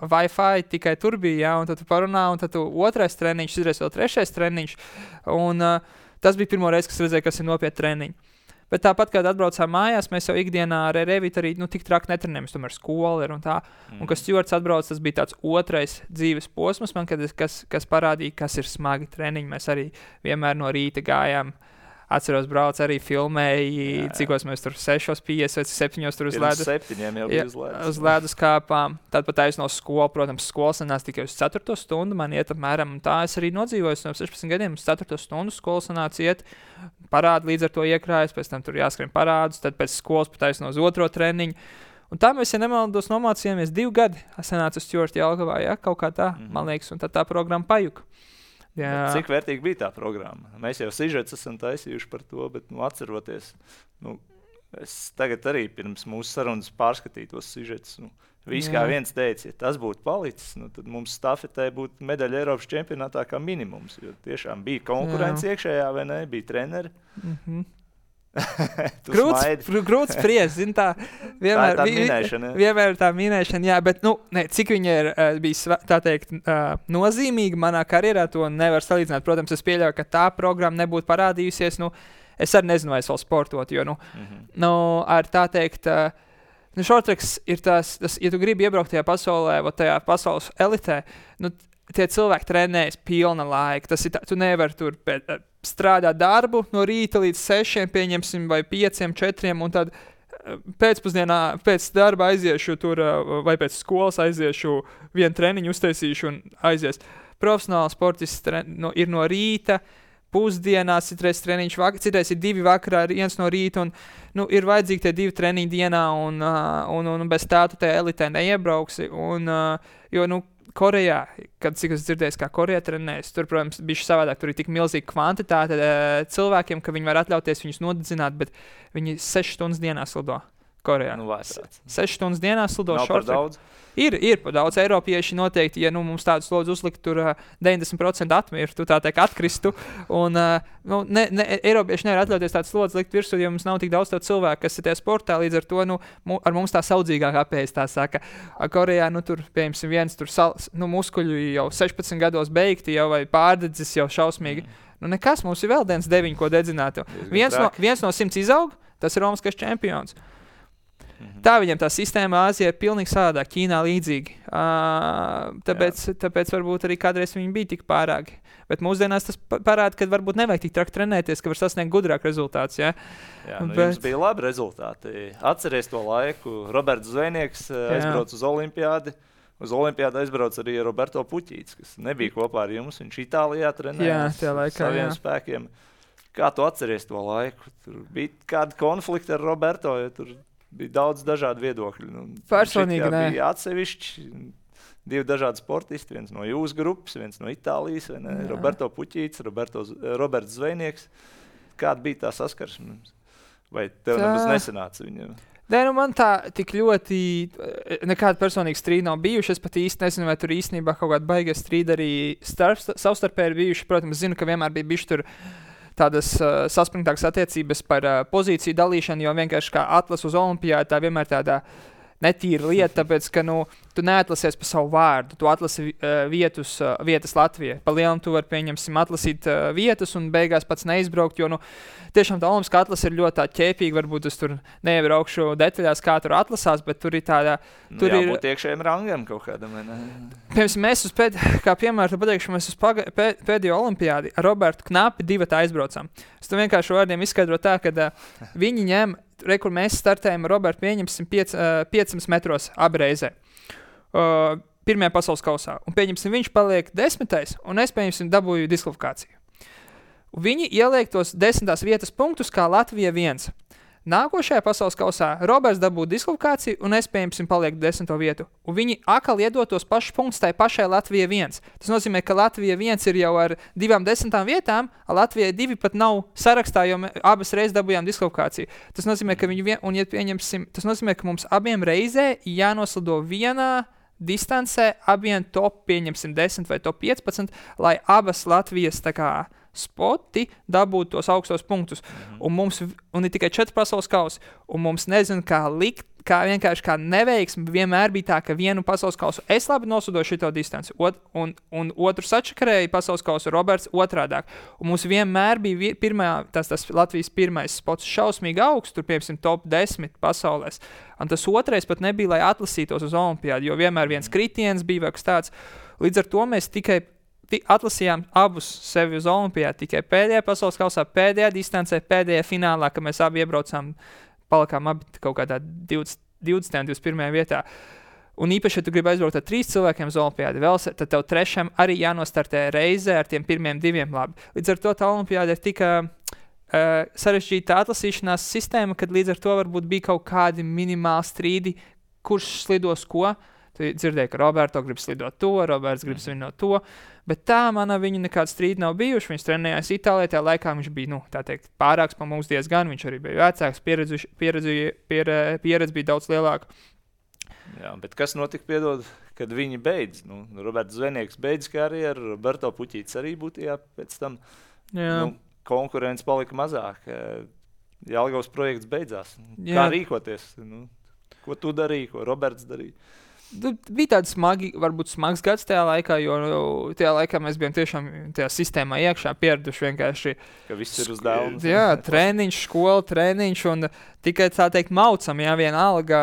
Wi-Fi tikai tur bija, un tad tu parunā, un tad tu 2. treniņš, izreiz vēl 3. treniņš, un tas bija pirmo reizi, kas redzēja, kas ir nopietni treniņi. Bet tāpat, kad atbraucām mājās, mēs jau ikdienā ar Evitu arī tik traki netrenējamies, tomēr skola ir un tā. Un kad Stuarts atbrauc, tas bija tāds 2. dzīves posms man, kas parādīja, kas ir smagi treniņi. Mēs arī vienmēr no rīta gājām Atceros, brauc arī filmēji, cikos mēs tur 6:50 vai 7 tur uz ledus. 7 jau bija uz ledus. Uz ledus kāpām. Tad pat aiz no skolas, protams, skolas sanās tikai uz 4 stundu. Man iet apmēram, un tā es arī nodzīvoju no 16 gadiem, uz 4 stundu skolas sanāca iet. Parādi līdz ar to iekrājas, pēc tam tur jāskrien parādus, tad pēc skolas pat aiz no uz 2. treniņu. Un tā mēs, ja nemaldos, nomācījāmies 2 gadi. Es sanācu uz Stjorta Jelgavā, ja, kaut kā tā, man liekas, un tad tā programma pajuka. Jā. Cik vērtīgi bija tā programma? Mēs jau sižets esam taisījuši par to, bet, atceroties, es tagad arī pirms mūsu sarunas pārskatīju tos sižetus. Visi kā viens teica, ja tas būtu palicis, tad mums stafetē būtu medaļa Eiropas čempionātā kā minimums, jo tiešām bija konkurence iekšējā, vai ne? Bija treneri. Grūts spriest, zin tā. Vienmēr, tā ir tā minēšana. Vienmēr ir tā minēšana, jā, bet, cik viņa ir bijis, tā teikt, nozīmīga manā karjerā, to nevar salīdzināt. Protams, es pieļauju, ka tā programma nebūtu parādījusies, es arī nezinu, vai es vēl sportot, jo, ar tā teikt, šortreks ir tas, ja tu gribi iebraukt tajā pasaulē, vai tajā pasaules elitē, tie cilvēki trenējas pilna laika. Tas ir tā, tu nevari tur strādāt darbu no rīta līdz 6, pieņemsim, vai 5, 4, un tad pēcpusdienā pēc darba aiziešu tur, vai pēc skolas aiziešu vienu treniņu uztaisīšu un aizies. Profesionāli sportists ir no rīta, pusdienās, citreiz treniņš vakarā, citreiz ir 2 vakarā, 1 no rīta, un ir vajadzīgi tie 2 treniņi dienā, un bez tā tu tajā elitē neiebrauksi, jo, Korejā, cik es dzirdēju, kā Koreja trenējas, tur, protams, bija savādāk, tur ir tik milzīga kvantitāte cilvēkiem, ka viņi var atļauties viņus nodedzināt, bet viņi 6 stundas dienā slido Korejā. 6 stundas dienā slido šortreku. Ir par daudz. Eiropieši noteikti, ja mums tādu slodzi uzlikt, tur 90% atmirtu, tā teikt, atkristu. Un Eiropieši nevar atļauties tādu slodzi likt virsū, jo mums nav tik daudz tādu cilvēku, kas ir tajā sportā, līdz ar to, ar mums tā saudzīgāk apējas, tā saka. Korejā, tur, piemēram, viens tur muskuļu jau 16 gados beigti, jau vai pārdedzis jau šausmīgi. Nekas, mums ir vēl 9, ko dedzināt. Viens no 100 izaug, tas ir Romaskais čempions. Tā viņam tā sistēma Āzijā ir pilnīgi savādāk, Ķīnā līdzīgi. Tāpēc varbūt arī kādreiz viņi bija tik pārāki. Bet mūsdienās tas parāda, ka varbūt nevajag tik traki trenēties, ka var sasniegt gudrāk rezultāts. Ja? Jums bija labi rezultāti. Atceries to laiku. Roberts Zvejnieks aizbrauc uz Olimpiādi. Uz Olimpiādu aizbrauc arī Roberto Puķīts, kas nebija kopā ar jums. Viņš Itālijā trenējās saviem spēkiem. Kā tu atceries to laiku? Tur bija kādi konflikti ar Roberto, jo tur bija daudz dažādu viedokļu. Personīgi nē. Bija atsevišķi 2 dažādi sportisti, viens no jūsu grupas, viens no Itālijas, vai ne? Roberto Puķīts, Roberts Zvejnieks. Kāda bija tā saskarsme? Vai tev nebūs nesanāca viņam? Nē, man tā tik ļoti nekāda personīga strīda nav bijuši. Es pat īsti nezinu, vai tur īstenībā kaut kāda baiga strīda arī savstarpēji ir bijuši. Protams, zinu, ka vienmēr bija bijuši tur tādas saspringtākas attiecības par pozīciju dalīšanu, jo vienkārši kā atlas uz Olimpiādu, tā vienmēr tādā netīra lieta, tāpēc, ka tu neatlasies pa savu vārdu, tu atlasi vietas Latvijai. Pa lielam tu vari, pieņemsim, atlasīt vietas un beigās pats neizbraukt, jo, tiešām tā olimpiskā atlase ir ļoti tā ķēpīga, varbūt es tur neiebraukšu detaļās, kā tur atlasās, bet tur ir tāda... Jābūt iekšējiem rangam kaut kādam, ne? Piemēram, mēs kā piemēru pateikšu, mēs uz pēdējo olimpiādi ar Robertu Knapi 2 aizbraucām. Es to vienkārši vārdiem izskaidroju tā, ka viņi ņem, kur mēs startējam ar Robertu, pieņemsim 500 metros abreizē. Pirmajā pasaules kausā. Un pieņemsim, viņš paliek 10. un es, pieņemsim, dabūju diskvalifikāciju. Viņi ieliek tos 10. vietas punktus kā Latvija 1. Nākošajā pasaules kausā Roberts dabūja diskvalifikāciju un es, pieņemsim, palieku 10. vietu. Un viņi atkal iedod tos pašus punktus tai pašai Latvija 1. Tas nozīmē, ka Latvija 1 ir jau ar 2 10. vietām, a Latvijai 2 pat nav sarakstā, jo abas reizes dabūjām diskvalifikāciju. Tas nozīmē, ka tas nozīmē, ka mums abiem reizē jānoslido vienā distancē, abiem top, pieņemsim 10 vai top 15, lai abas Latvijas tā kā spoti dabūtu tos augstos punktus. Un ir tikai 4 pasaules kausi. Un mums nezinu, kā likt, kā vienkārši kā neveiksmi vienmēr bija tā, ka vienu pasaules kausu es labi nosudoju šito distanci, un otru sačakarēja pasaules kausu Roberts otrādāk. Un mums vienmēr bija tas Latvijas pirmais spots šausmīgi augsts, tur, piemēram, top 10 pasaulēs. Un tas otrais pat nebija, lai atlasītos uz Olimpiādu, jo vienmēr viens kritiens bija vai kas tāds. Līdz ar to mēs tikai atlasījām abus sevi uz olimpiādu tikai pēdējā pasaules kausā, pēdējā distancē, pēdējā finālā, kad mēs abi iebraucām, palikām abi kaut kādā 20. un 21. vietā. Un īpaši, ja tu gribi aizbraukt ar 3 cilvēkiem uz olimpiādu, tad tev trešajam arī jānostartē reizē ar tiem pirmiem 2 labi. Līdz ar to tā olimpiāda ir tik sarežģīta atlasīšanās sistēma, kad līdz ar to varbūt bija kaut kādi minimāli strīdi, kurš slidos ko. Tu dzirdēji, ka Roberto grib slidot to, Roberts grib svinot to, bet tā viņa nekāda strīda nav bijuši. Viņš trenējās Itālijā, tajā laikā viņš bija, tā teikt, pārāks pa mums diezgan, viņš arī bija vecāks, pieredze bija daudz lielāka. Jā, bet kas notika, piedod, kad viņi beidz? Roberts Zvejnieks beidz karjeru, Roberto Puķītis arī būtu pēc tam. Konkurence palika mazāk. Jelgavas projekts beidzās. Kā rīkoties? Ko tu darīji, ko Roberts darīja? Bija tāds varbūt smags gads tajā laikā, jo tajā laikā mēs bijām tiešām tajā sistēmā iekšā pieraduši vienkārši. Ka viss ir uz dēlnes. Jā, treniņš, skola, treniņš un tikai tā teikt maucam, vienalga.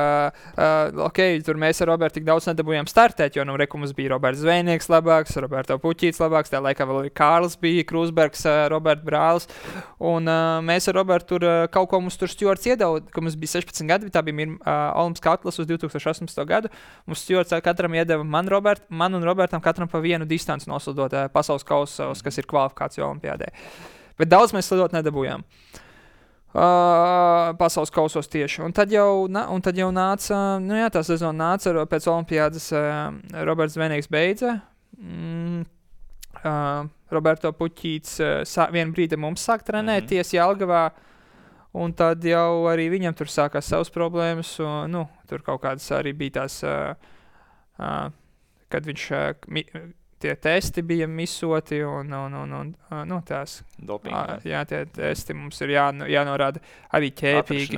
Tur mēs ar Robertu tik daudz nedabūjām startēt, jo mums bija Roberts Zvejnieks labāks, Roberto Puķītis labāks, tajā laikā vēl arī Kārlis bija, Krūsbergs, Roberta brālis. Un mēs ar Robertu tur kaut ko mums tur Stjorts iedeva, ka mums bija 16 gadi, tā bija olimpiskā atlase uz 2018. gadu. Mums Stjorts katram iedeva man un Robertam katram pa vienu distanci noslidot pasaules kausos, kas ir kvalifikācija olimpiādē. Bet daudz mēs slidot nedabūjām. Pasaules kausos tieši. Un tad jau nāca, tā sezona nāca, pēc olimpiādas Roberts Zvejnieks beidza. Roberto Puķītis vienu brīdi mums sāk trenēties Jelgavā, un tad jau arī viņam tur sākās savas problēmas, un, tur kaut kādas arī bija tās, kad viņš tie testi bija misoti un tās. Dopinga. Jā, tie testi mums ir jānorāda arī ķēpīgi.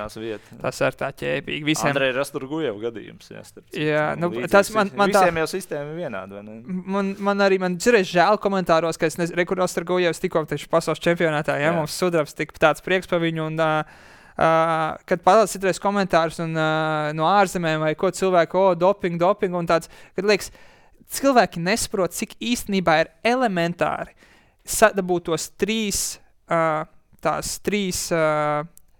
Tas ir tā ķēpīgi. Visiem... Andrei Rasturgujev gadījums. Jā, tas man visiem jau sistēma vienāda, vai ne? Man cerēs žēl komentāros, ka es nezinu, Rasturgujevs tikko taču pasaules čempionātā, mums sudrabs tik tāds prieks pa viņu un... kad palāc citreiz komentārus un no ārzemēm vai ko cilvēku, doping un tāds, kad liekas, cilvēki nesaprot, cik īstenībā ir elementāri sadabūt tos 3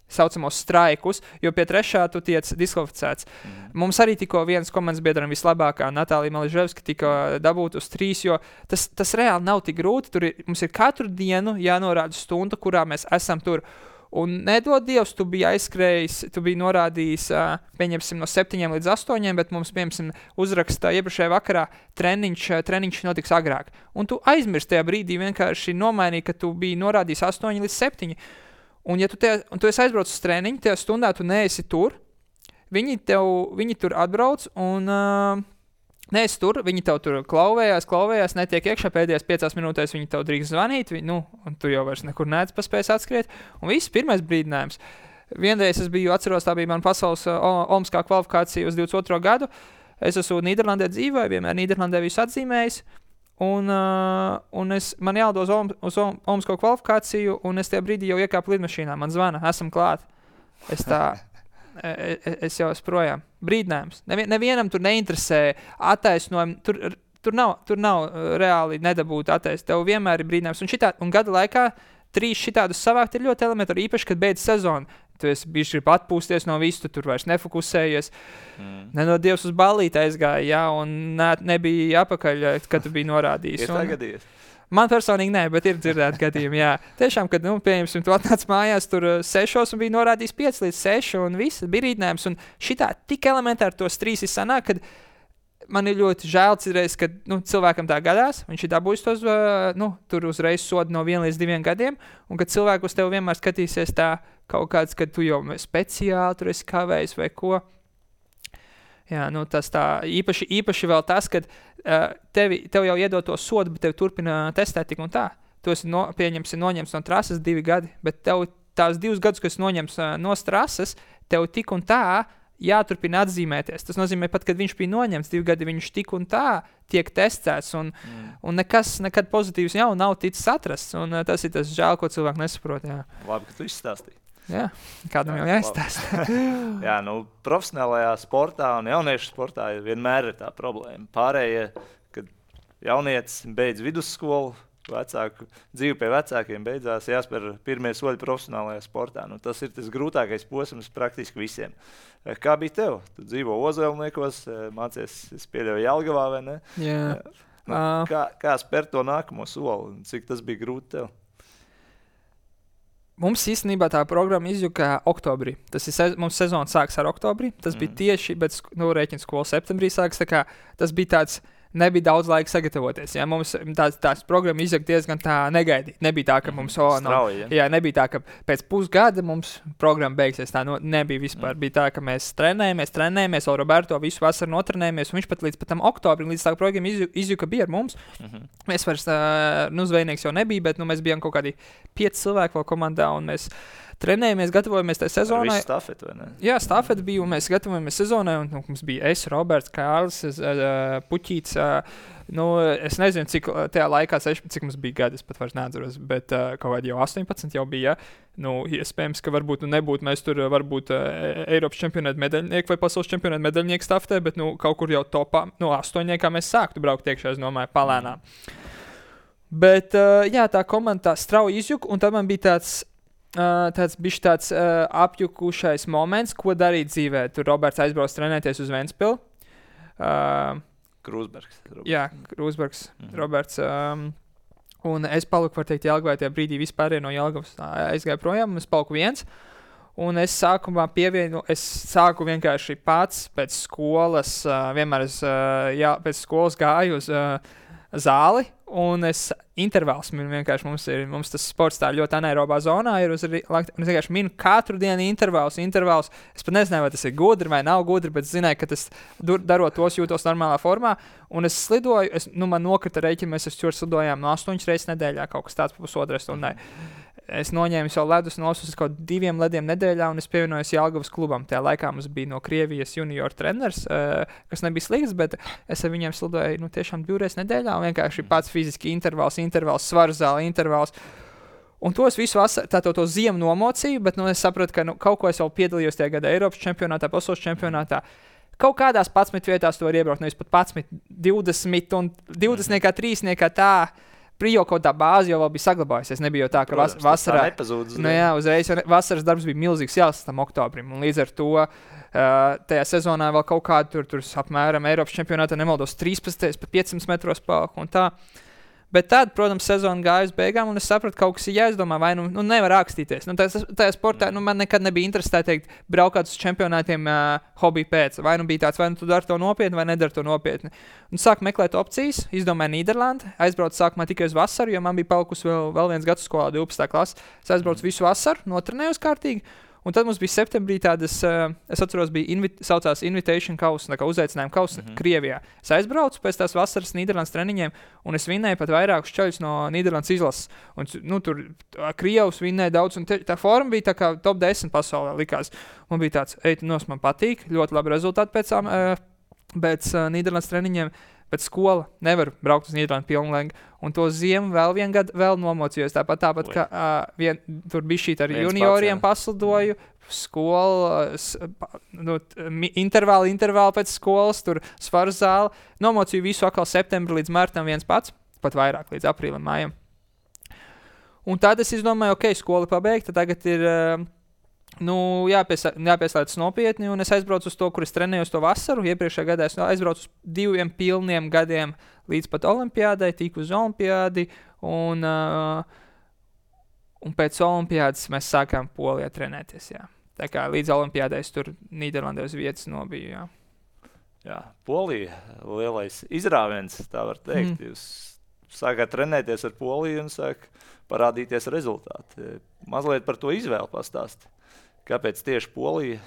saucamos straikus, jo pie 3. tu tiec diskvalificēts. Mums arī tikko viens komandas biedram vislabākā, Natālija Maliževska, tika dabūt uz 3, jo tas reāli nav tik grūti. Mums ir katru dienu jānorāda stunda, kurā mēs esam tur. Un nedod Dievs, tu biji aizskrējis, tu biji norādījis, pieņemsim no 7 līdz 8, bet mums, pieņemsim, uzrakstā iepriekšējā vakarā treniņš notiks agrāk. Un tu aizmirsti tajā brīdī vienkārši nomainīji, ka tu biji norādījis 8 līdz 7. Un ja tu esi aizbraucis uz treniņu, tajā stundā tu neesi tur, viņi tur atbrauc un... Neesi tur, viņi tev tur klauvējās, netiek iekšā pēdējās 5 minūtēs, viņi tev drīkst zvanīt, un tu jau vairs nekur neec paspējas atskriet. Un viss pirmais brīdinājums. Vienreiz es biju, atceros, tā bija man pasaules olimpiskā kvalifikācija uz 22. gadu. Es esmu Nīderlandē dzīvoju, vienmēr Nīderlandē visu atzīmējis. Un man jālido uz olimpisko kvalifikāciju, un es tajā brīdī jau iekāpu lidmašīnā. Man zvana, esam klāt. Es jau esmu projām. Brīdinājums. Nevienam tur neinteresē attaisnojumi. Tur nav reāli nedabūt attaisnojumi. Tev vienmēr ir brīdinājums. Un gada laikā 3 šitādus savākt ir ļoti elementāri, īpaši, kad beidz sezonu. Tu esi bijis grib atpūsties no visu, tu tur vairs nefokusējies. Nenod Dievs uz ballīti aizgāja, un nebija apakaļ, kad tu biji norādījis. Ir tā gadījies? Man personīgi nē, bet ir dzirdēti gadījumi, jā. Tiešām, kad, pieņemsim, tu atnāc mājās tur 6 un bija norādījis 5 līdz 6 un viss bija rīdinājums. Un šitā tik elementāri tos 3 ir sanāk, kad man ir ļoti žēl citreiz, kad cilvēkam tā gadās, viņš ir dabūjis tos, tur uzreiz sodu no 1 līdz 2 gadiem, un kad cilvēku uz tevi vienmēr skatīsies tā kaut kāds, kad tu jau speciāli tur esi kavējis vai ko. Jā, tas tā īpaši vēl tas, kad tev jau iedod to sodu, bet tev turpina testēt tik un tā. Tu esi noņemts no trases 2 gadi, bet tev tās 2 gadus, kas noņems no trases, tev tik un tā jāturpina atzīmēties. Tas nozīmē pat, kad viņš bija noņemts 2 gadi, viņš tik un tā tiek testēts, un nekas nekad pozitīvs jau nav ticis atrasts, un tas ir tas žēl, ko cilvēki nesaprot. Jā. Labi, ka tu izstāstīji. Jā, kādam jau jāizstāsta. Jā, profesionālajā sportā un jauniešu sportā vienmēr ir tā problēma. Pārējie, kad jaunietis beidz vidusskolu, vecāku dzīvi pie vecākiem beidzās, jāspēr pirmie soļi profesionālajā sportā. Nu, tas ir tas grūtākais posms praktiski visiem. Kā bija tev? Tu dzīvo Ozelniekos, mācies, es pieļauju Jelgavā, vai ne? Jā. Nu, kā spērt to nākamo soli? Cik tas bija grūti tev? Mums īstenībā tā programma izjuka oktobrī. Tas ir mums sezona sāks ar oktobri. Tas bija tieši, bet rēķina skola septembrī sāks. Tā kā tas bija tāds, nebija daudz laika sagatavoties. Ja? Mums tās programma izjuka diezgan tā negaidīt. Nebija tā, ka mums strauji, jā, nebija tā, ka pēc pusgada mums programma beigsies. Tā nebija vispār. Bija tā, ka mēs trenējāmies, vēl Roberto visu vasaru notrenējāmies, un viņš pat līdz tam oktobrim, līdz tā programma izjuka bija ar mums. Mēs vairs, zvejnieks jau nebija, bet mēs bijām kaut kādi 5 cilvēki vēl komandā, un mēs trenējamies, gatavojamies tajā sezonai. Ar visu stafeti, vai ne? Jā, stafeti bija, un mēs gatavojamies sezonai, un mums bija Roberts, Kārlis, Puķīts. Es nezinu, cik tajā laikā, cik mums bija gadi, es pat vairs neatceros, bet kaut kādi jau 18 jau bija. Iespējams, ka varbūt nebūtu mēs tur varbūt Eiropas čempionāta medaļnieki vai pasaules čempionāta medaļnieki stafetē, bet kaut kur jau topā, 8. mēs sāktu braukt iekšā, es domāju, palēnām. Bet, jā, tā komanda tā strauji izjuka, un tad man bija tāds apjukušais moments, ko darīt dzīvē. Tur Roberts aizbrauc trenēties uz Ventspili. Krūsbergs. Jā, Krūsbergs, Roberts. Un es paliku, var teikt, Jelgavā tajā brīdī vispār no Jelgavas aizgāju projām, un es paliku viens. Un es sākumā sāku vienkārši pats pēc skolas, vienmēr pēc skolas gāju uz zāli, un es intervāls vienkārši mums tas sports tā ļoti anaerobā zonā ir, un es vienkārši minu katru dienu intervāls. Es pat nezināju, vai tas ir gudri vai nav gudri, bet zināju, ka tas darot tos jūtos normālā formā, un es slidoju, man nokrita rēķina, mēs slidojām 8 reizes nedēļā, kaut kas tāds pusotrai stundai. Es noņēmu savu ledus nosus kaut 2 lediem nedēļā, un es pievienojos Jelgavas klubam. Tajā laikā mums bija no Krievijas junior treneris, kas nebija slikts, bet es ar viņiem slidoju tiešām 2 reizes nedēļā, un vienkārši pats fiziski intervāls, svaru zāle, intervāls. Un to es visu vasaru, to ziemu nomocīju, bet es sapratu, ka kaut ko es vēl piedalījos tajā gada Eiropas čempionātā, pasaules čempionātā. Kaut kādās 11 vietās to var iebraukt, nevis pat 11, 20 un 20, 3 tā. Prijo kaut tā bāze jau bija saglabājusies. Nebija jau tā, ka vasarā uzreiz vasaras darbs bija milzīgs jāsas tam oktobrim. Un līdz ar to tajā sezonā vēl kaut kādu tur apmēram Eiropas čempionātā nemaldos 13, pat 500 metros palku un tā. Bet tad, protams, sezona gāja uz beigām, un es sapratu, ka kaut kas ir jāizdomā, vai nevar rakstīties. Tajā sportā man nekad nebija interesē braukāt uz čempionātiem hobiju pēc. Vai bija tāds, vai tu dari to nopietni, vai nedari to nopietni. Un sāku meklēt opcijas, izdomāju Nīderlandi, aizbraucu sākumā tikai uz vasaru, jo man bija palikusi vēl viens gads skolā, 12. klase. Es aizbraucu visu vasaru, notrenējos kārtīgi. Un tad mums bija septembrī tādas, es atceros, saucās Invitation kausa, tā kā uzaicinājuma kausa Krievijā. Es aizbraucu pēc tās vasaras Nīderlandes treniņiem, un es vinnēju pat vairākus čaļus no Nīderlandes izlases. Un tur Krievs vinnēja daudz, un tā forma bija tā kā top 10 pasaulē likās. Man bija tāds, man patīk, ļoti labi rezultāti pēc Nīderlandes treniņiem. Bet skola nevar braukt uz Nīderlandi pilnlēgi. Un to ziemu vēl vienu gadu vēl nomocījos. Tāpat kā tur bija šī ar junioriem paslidoju. Skola, intervāli pēc skolas, tur svaru zāli. Nomocīju visu atkal septembri līdz martam viens pats. Pat vairāk līdz aprīlim, mājam. Un tad es izdomāju, skola pabeigta. Tagad ir... jāpieslēdz nopietni, un es aizbraucu uz to, kur es trenējos to vasaru. Iepriekšējā gadā es aizbraucu uz 2 pilniem gadiem līdz pat olimpiādai, tiku uz olimpiādi, un pēc olimpiādas mēs sākām Polijā trenēties, jā. Tā kā līdz olimpiādai es tur Nīderlandē uz vietas nobiju, jā. Jā, Polija, lielais izrāviens, tā var teikt. Jūs sākāt trenēties ar Poliju un sāk parādīties rezultāti. Mazliet par to izvēli pastāst. Kāpēc tieši Polija?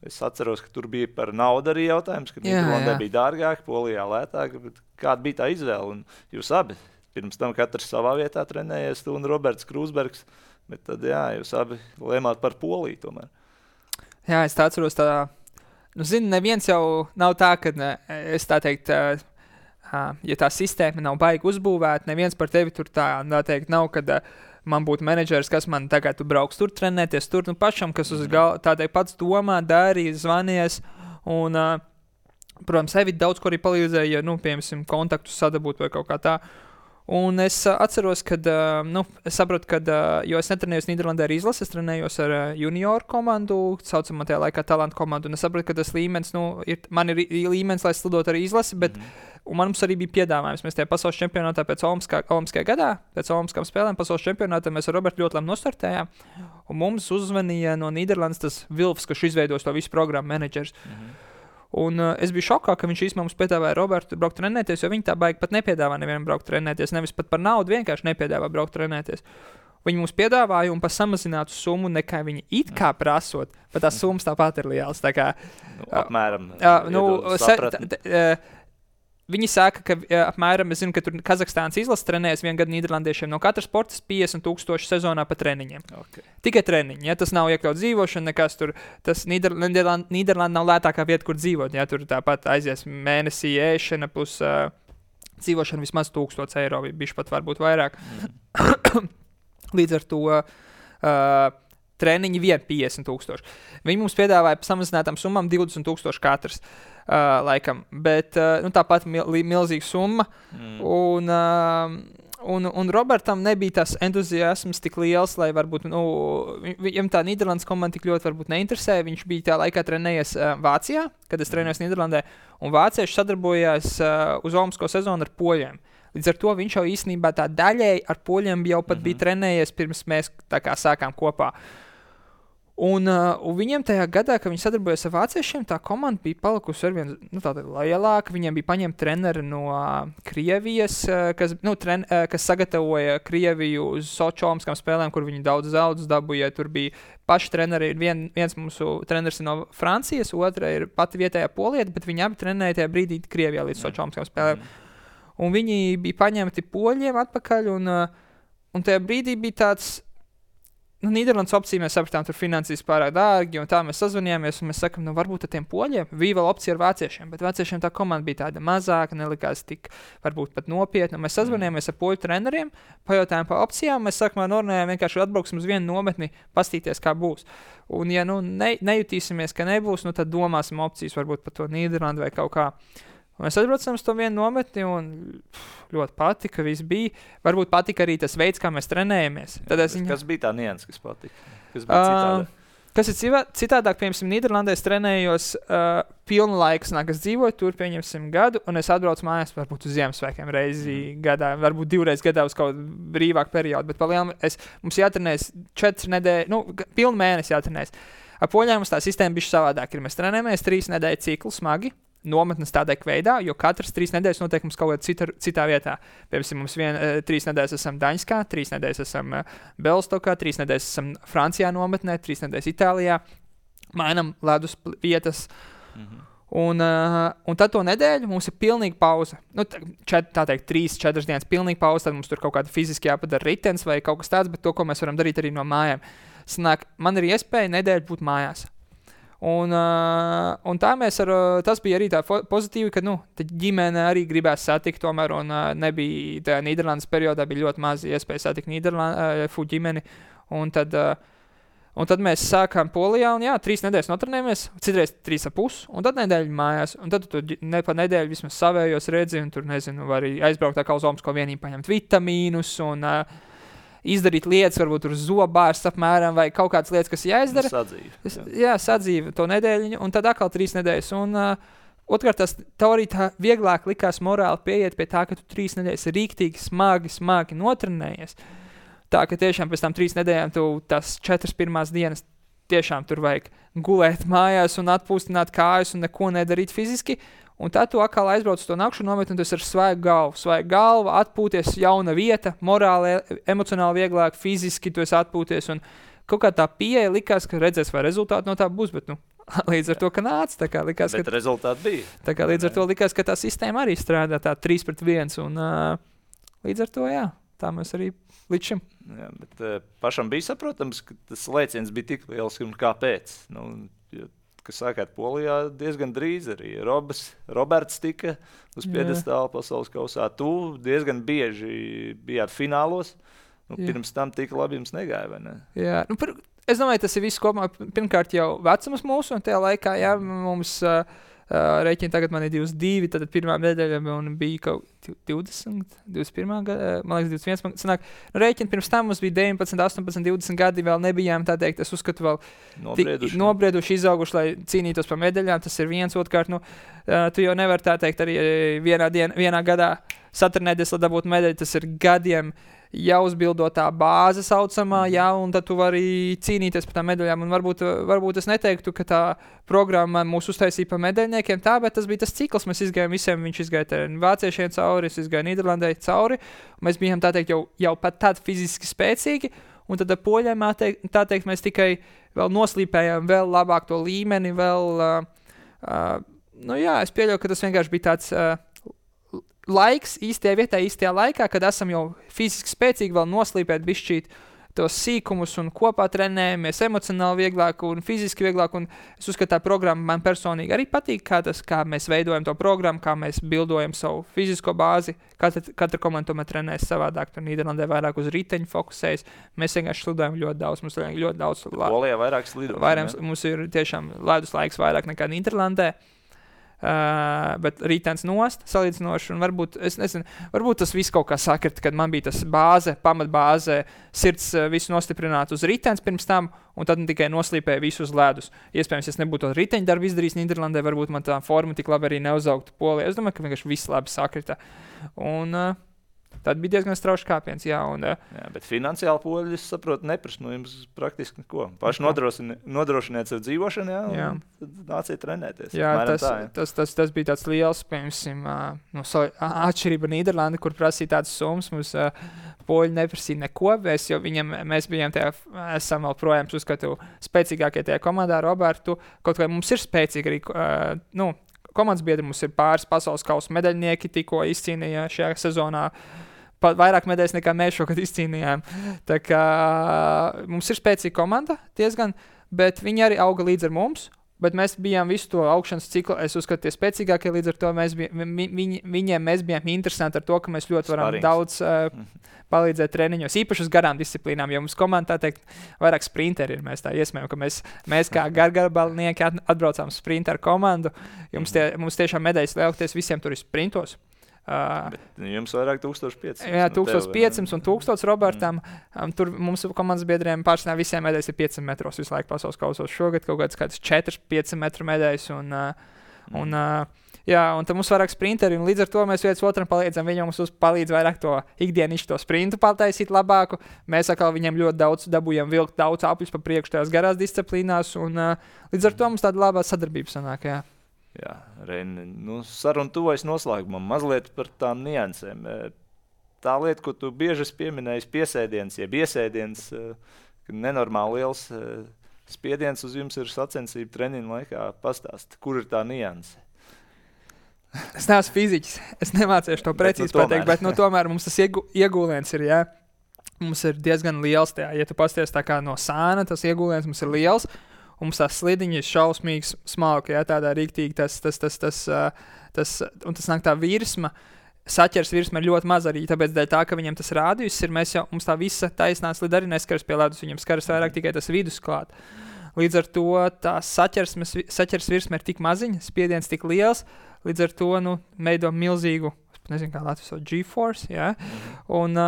Es atceros, ka tur bija par naudu arī jautājums, ka Nīderlandē bija dārgāk, Polijā lētāk. Kāda bija tā izvēle? Un jūs abi pirms tam katrs savā vietā trenējies, tu un Roberts Krūsbergs, bet tad jūs abi lēmāt par Poliju tomēr. Jā, es tā atceros tā, neviens jau nav tā, ka es tā teikt, ja tā sistēma nav baigi uzbūvēta, neviens par tevi tur tā teikt nav, kad man būtu menedžers, kas man tagad tu brauks tur trenēties, tur pašam, kas uz tādai pats domā, darīs, zvanies, un Protams, Evita daudz ko arī palīdzēja, piemēram, kontaktus sadabūt vai kaut kā tā. Un es atceros, kad, es saprotu, jo es netrenējos Nīderlandē ar izlasi, es trenējos ar junioru komandu, saucamā tajā laikā talantu komandu, un es saprotu, ka tas līmenis, man ir līmenis, lai slidot ar izlasi, bet un mums arī bija piedāvājums. Mēs tajā pasaules čempionātā pēc Olimpiskajā gadā, pēc Olimpiskām spēlēm pasaules čempionātā mēs ar Robertu ļoti labi nostartējām, un mums uzzvanīja no Nīderlandes tas Vilfs, kurš izveidos to visu programmu menedžers. Un es biju šokā, ka viņš īstenībā mums piedāvāja Robertu braukt trenēties, jo viņi tā baigi pat nepiedāvā nevienam braukt trenēties, nevis pat par naudu, vienkārši nepiedāvā braukt trenēties. Viņi mums piedāvāja un par samazinātu summu, nekā viņi it kā prasot, bet tās summas tāpat ir lielas. Tā kā, apmēram, viņi saka, ka apmēram, es zinu, ka tur Kazahstānas izlases trenējas vienu gadu nīderlandiešiem no katras sportas 50,000 sezonā pa treniņiem. Okay. Tikai treniņi, ja tas nav iekļauts dzīvošana, nekas tur, tas Nīderlanda nav lētākā vieta, kur dzīvot, ja tur tāpat aizies mēnesī ēšana plus dzīvošana vismaz 1,000 eiro, bišķi pat varbūt vairāk. Līdz ar to treniņi vien 50,000. Viņi mums piedāvāja samazinātām summām 20,000 katrs. Laikam, bet tāpat milzīga summa, un Robertam nebija tas entuziasms tik liels, lai varbūt, viņam tā Nīderlandes komanda tik ļoti varbūt neinteresēja, viņš bija tā laikā trenējies Vācijā, kad es trenējos Nīderlandē, un vācieši sadarbojās uz olimpisko sezonu ar poļiem. Līdz ar to viņš jau īstenībā tā daļēji ar poļiem jau pat bija trenējies, pirms mēs tā kā sākām kopā. Un viņiem tajā gadā, kad viņi sadarbojas ar vāciešiem, tā komanda bija palikusi arvien lielāka. Viņiem bija paņemti treneri no Krievijas, kas sagatavoja Krieviju uz Soči olimpiskām spēlēm, kur viņi daudz zaudus dabūja. Tur bija paši treneri. Viens mūsu treneris ir no Francijas, otra ir pati vietējā polieta, bet viņi abi trenēja tajā brīdī Krievijā līdz Soči olimpiskām spēlēm. Un viņi bija paņemti poļiem atpakaļ, un tajā brīdī bija tāds... Nīderlandes opcija mēs sapratām, tur finansīs pārāk dārgi, un tā mēs sazvanījāmies, un mēs sakam, varbūt ar tiem poļiem bija vēl opcija ar vāciešiem, bet vāciešiem tā komanda bija tāda mazāka, nelikās tik, varbūt pat nopietna. Mēs sazvanījāmies ar poļu treneriem, pajautājām par opcijām, mēs sākumā norunājām vienkārši atbrauksim uz vienu nometni, pastīties, kā būs. Un ja nejutīsimies, ka nebūs, tad domāsim opcijas varbūt par to Nīderlandu vai kaut kā. Un mēs atbraucām uz to vienu nometni un ļoti patika, viss bija. Varbūt patika arī tas veids, kā mēs trenējamies. Kas bija tā nianses, kas patika? Kas bija citādāk? Kas ir citādāk, piemēram, Nīderlandē es trenējos pilnu laiku, es dzīvoju tur, pieņemsim gadu, un es atbraucu mājās varbūt uz Ziemassvētkiem reizi gadā, varbūt 2 reizes gadā uz kaut brīvāku periodu, bet palielam mums jātrenēs 4 nedēļas, pilnu mēnesi jātrenēs. Ar poļiem mums tā sistēma bišķi savādāk ir. Mēs trenējamies 3 nedēļu ciklu smagi, nometnes tādā veidā, jo katras 3 nedēļas notiek mums kaut kādā citā vietā. Piemēram, mums 3 nedēļas esam Daņskā, 3 nedēļas esam Belstokā, 3 nedēļas esam Francijā nometnē, 3 nedēļas Itālijā. Mainam ledus vietas. Un tad to nedēļu mums ir pilnīga pauze. 3-4 dienas pilnīga pauze, tad mums tur kaut kāda fiziski jāpadara ritens vai kaut kas tāds, bet to, ko mēs varam darīt arī no mājām. Man ir iespēja nedēļu būt mājās. Un tā tas bija arī tā pozitīvi, ka ģimene arī gribēs satikt tomēr, un nebija tajā Nīderlandes periodā bija ļoti maz iespēja satikt ģimeni, un tad mēs sākām Polijā, un 3 nedēļas notrenējamies, citreiz 3,5, un tad nedēļu mājās, un tad tu pa nedēļu vismaz savējos redzi, un tur, var arī aizbraukt kā uz olimpisko vienību, paņemt vitamīnus, un izdarīt lietas, varbūt tur zobārsts apmēram, vai kaut kādas lietas, kas jāizdara. Sadzīve to nedēļu, un tad atkal 3 nedēļas. Un otrkārt, tas teorija tā vieglāk likās morāli pieiet pie tā, ka tu 3 nedēļas rīktīgi, smagi notrenējies. Tā, ka tiešām pēc tam 3 nedēļām tu tās 4 pirmās dienas tiešām tur vajag gulēt mājās un atpūstināt kājas un neko nedarīt fiziski. Un tad tu atkal aizbrauc uz to nakšu nometni, un tas ir svaiga galva, atpūties, jauna vieta, morāli, emocionāli vieglāk, fiziski tu esi atpūties, un kaut kā tā pieeja likās, ka redzēs, vai rezultāti no tā būs, bet līdz ar to, ka nāca, tā kā likās, bet rezultāti bija. Tā kā līdz ar to likās, ka tā sistēma arī strādā tā 3-1, un līdz ar to, tā mēs arī līdz šim. Jā, bet pašam bija saprotams, ka tas lēciens bija tik liels, un kāpēc? Kas sākāt Polijā diezgan drīz arī. Roberts tika uz piedestāla pasaules kausā. Tu diezgan bieži bijāt finālos. Pirms tam tik labi jums negāja, vai ne? Jā, es domāju, tas ir viss kopumā. Pirmkārt jau vecums mūsu, un tajā laikā, mums Rēķini tagad man ir 22, tad pirmā medaļa man bija kaut 20, 21 gada, man liekas 21, sanāk, rēķini pirms tam mums bija 19, 18, 20 gadi, vēl nebijām, tā teikt, es uzskatu vēl nobrieduši, izauguši, lai cīnītos par medaļām, tas ir viens, otrkārt, nu, tu jau nevar tā teikt arī vienā gadā satrenēties, lai dabūtu medaļu, tas ir gadiem jāuzbildot tā bāze saucamā, jā, un tad tu vari cīnīties par tām medaļām, un varbūt es neteiktu, ka tā programma mūs uztaisīja par medaļniekiem tā, bet tas bija tas cikls, mēs izgājām visiem, viņš izgāja vāciešiem cauri, es izgāju Nīderlandē cauri, mēs bijām tā teikt jau pat tādi fiziski spēcīgi, un tad ar poļiem tā teikt mēs tikai vēl noslīpējām vēl labāk to līmeni, vēl, nu jā, es pieļauju, ka tas vienkārši bija tāds laiks īstajā vietā, īstajā laikā, kad esam jau fiziski spēcīgi vēl noslīpēt bišķīt tos sīkumus un kopā trenējamies emocionāli vieglāk un fiziski vieglāk, un es uzskatu, tā programma man personīgi arī patīk, kā mēs veidojam to programmu, kā mēs bildojam savu fizisko bāzi, katra komanda tomēr trenēs savādāk, tur Nīderlandē vairāk uz riteņu fokusējas, mēs vienkārši slidojam ļoti daudz, mums ir ļoti daudz. Polijā vairāk slidojam. Mums ir tiešām ledus laiks vairāk nekā Nīderlandē. Bet rītens nost salīdzinoši, un varbūt, es nezinu, varbūt tas viss kaut kā sakrita, kad man bija tas pamatbāze, sirds visu nostiprināt uz rītens pirms tam, un tad tikai noslīpēja visu uz ledus. Iespējams, es nebūtu to riteņu darbu izdarījis Nīderlandē, varbūt man tā forma tik labi arī neuzaugtu Polijā. Es domāju, ka vienkārši viss labi sakrita. Un tad bija diezgan strauši kāpiens, jā. Jā, bet finansiāli poļi, es saprotu, neprasa no jums praktiski neko. Paši nodrošiniet sev dzīvošanu, jā, un tad nāciet trenēties. Jā, tas bija tāds liels, piemēram, atšķirība Nīderlanda, kur prasīja tādas summas, mums poļi neprasīja neko, jo mēs bijām esam vēl projām, uzskatu, spēcīgākie tajā komandā, Robertu, kaut kā mums ir spēcīgi arī, komandas biedri mums ir pāris pasaules kausa medaļnieki, tikko izcīnīja šajā sezonā vairāk medaļas nekā mēs šogad izcīnījām. Tā kā mums ir spēcīga komanda diezgan, bet viņi arī auga līdz ar mums, bet mēs bijām visu to augšanas ciklu, es uzskatu, tie spēcīgākie, līdz ar to mēs bijām interesanti ar to, ka mēs ļoti varam daudz palīdzēt treniņos, īpaši uz garām disciplīnām, jo mums komanda, tā teikt, vairāk sprinteri ir, mēs tā iesmējam, ka mēs kā gargabalnieki atbraucām sprinteru komandu, mums tiešām medaļas lielākoties visiem tur ir sprintos. Bet jums vairāk 1500. Jā, 1500 un 1000 Robertam. Tur mums komandas biedriem pārsvarā visiem medaļas ir 500 metros visu laiku pasaules kausos. Šogad kaut kāds 4-5 metru medaļas. Un tad mums vairāk sprinteri, un līdz ar to mēs viens otram palīdzam. Viņi mums palīdz vairāk to ikdienišķi to sprintu pataisīt labāku. Mēs atkal viņiem ļoti daudz dabūjam vilkt daudz apļus pa priekšu tajās garās disciplīnās, un līdz ar to mums tāda labā sadarbība sanāk, jā. Jā, Reini, saruna tuvojas noslēgumam, mazliet par tām niansēm. Tā lieta, ko tu bieži pieminēji, piesēdiens, jeb iesēdiens, nenormāli liels spiediens uz jums ir sacensību treniņu laikā. Pastāst, kur ir tā nianse? Es neesmu fiziķis, es nemācīšu to precīzi pateikt, bet tomēr mums tas iegūliens ir, jā. Mums ir diezgan liels tajā, ja tu pasties tā kā no sāna, tas iegūliens mums ir liels. Un mums tās slidiņi ir šausmīgi smalki, jā, tādā rīktīgi un tas nāk tā virsma, saķers virsma ir ļoti maz arī, tāpēc dēļ tā, ka viņam tas rādījus ir, mums tā visa taisnā slida arī neskaras pie ledus, viņam skaras vairāk tikai tas vidus klāt. Līdz ar to tā saķers virsma ir tik maziņa, spiediens tik liels, līdz ar to, veido milzīgu, nezinu kā Latvijas G-force, jā, un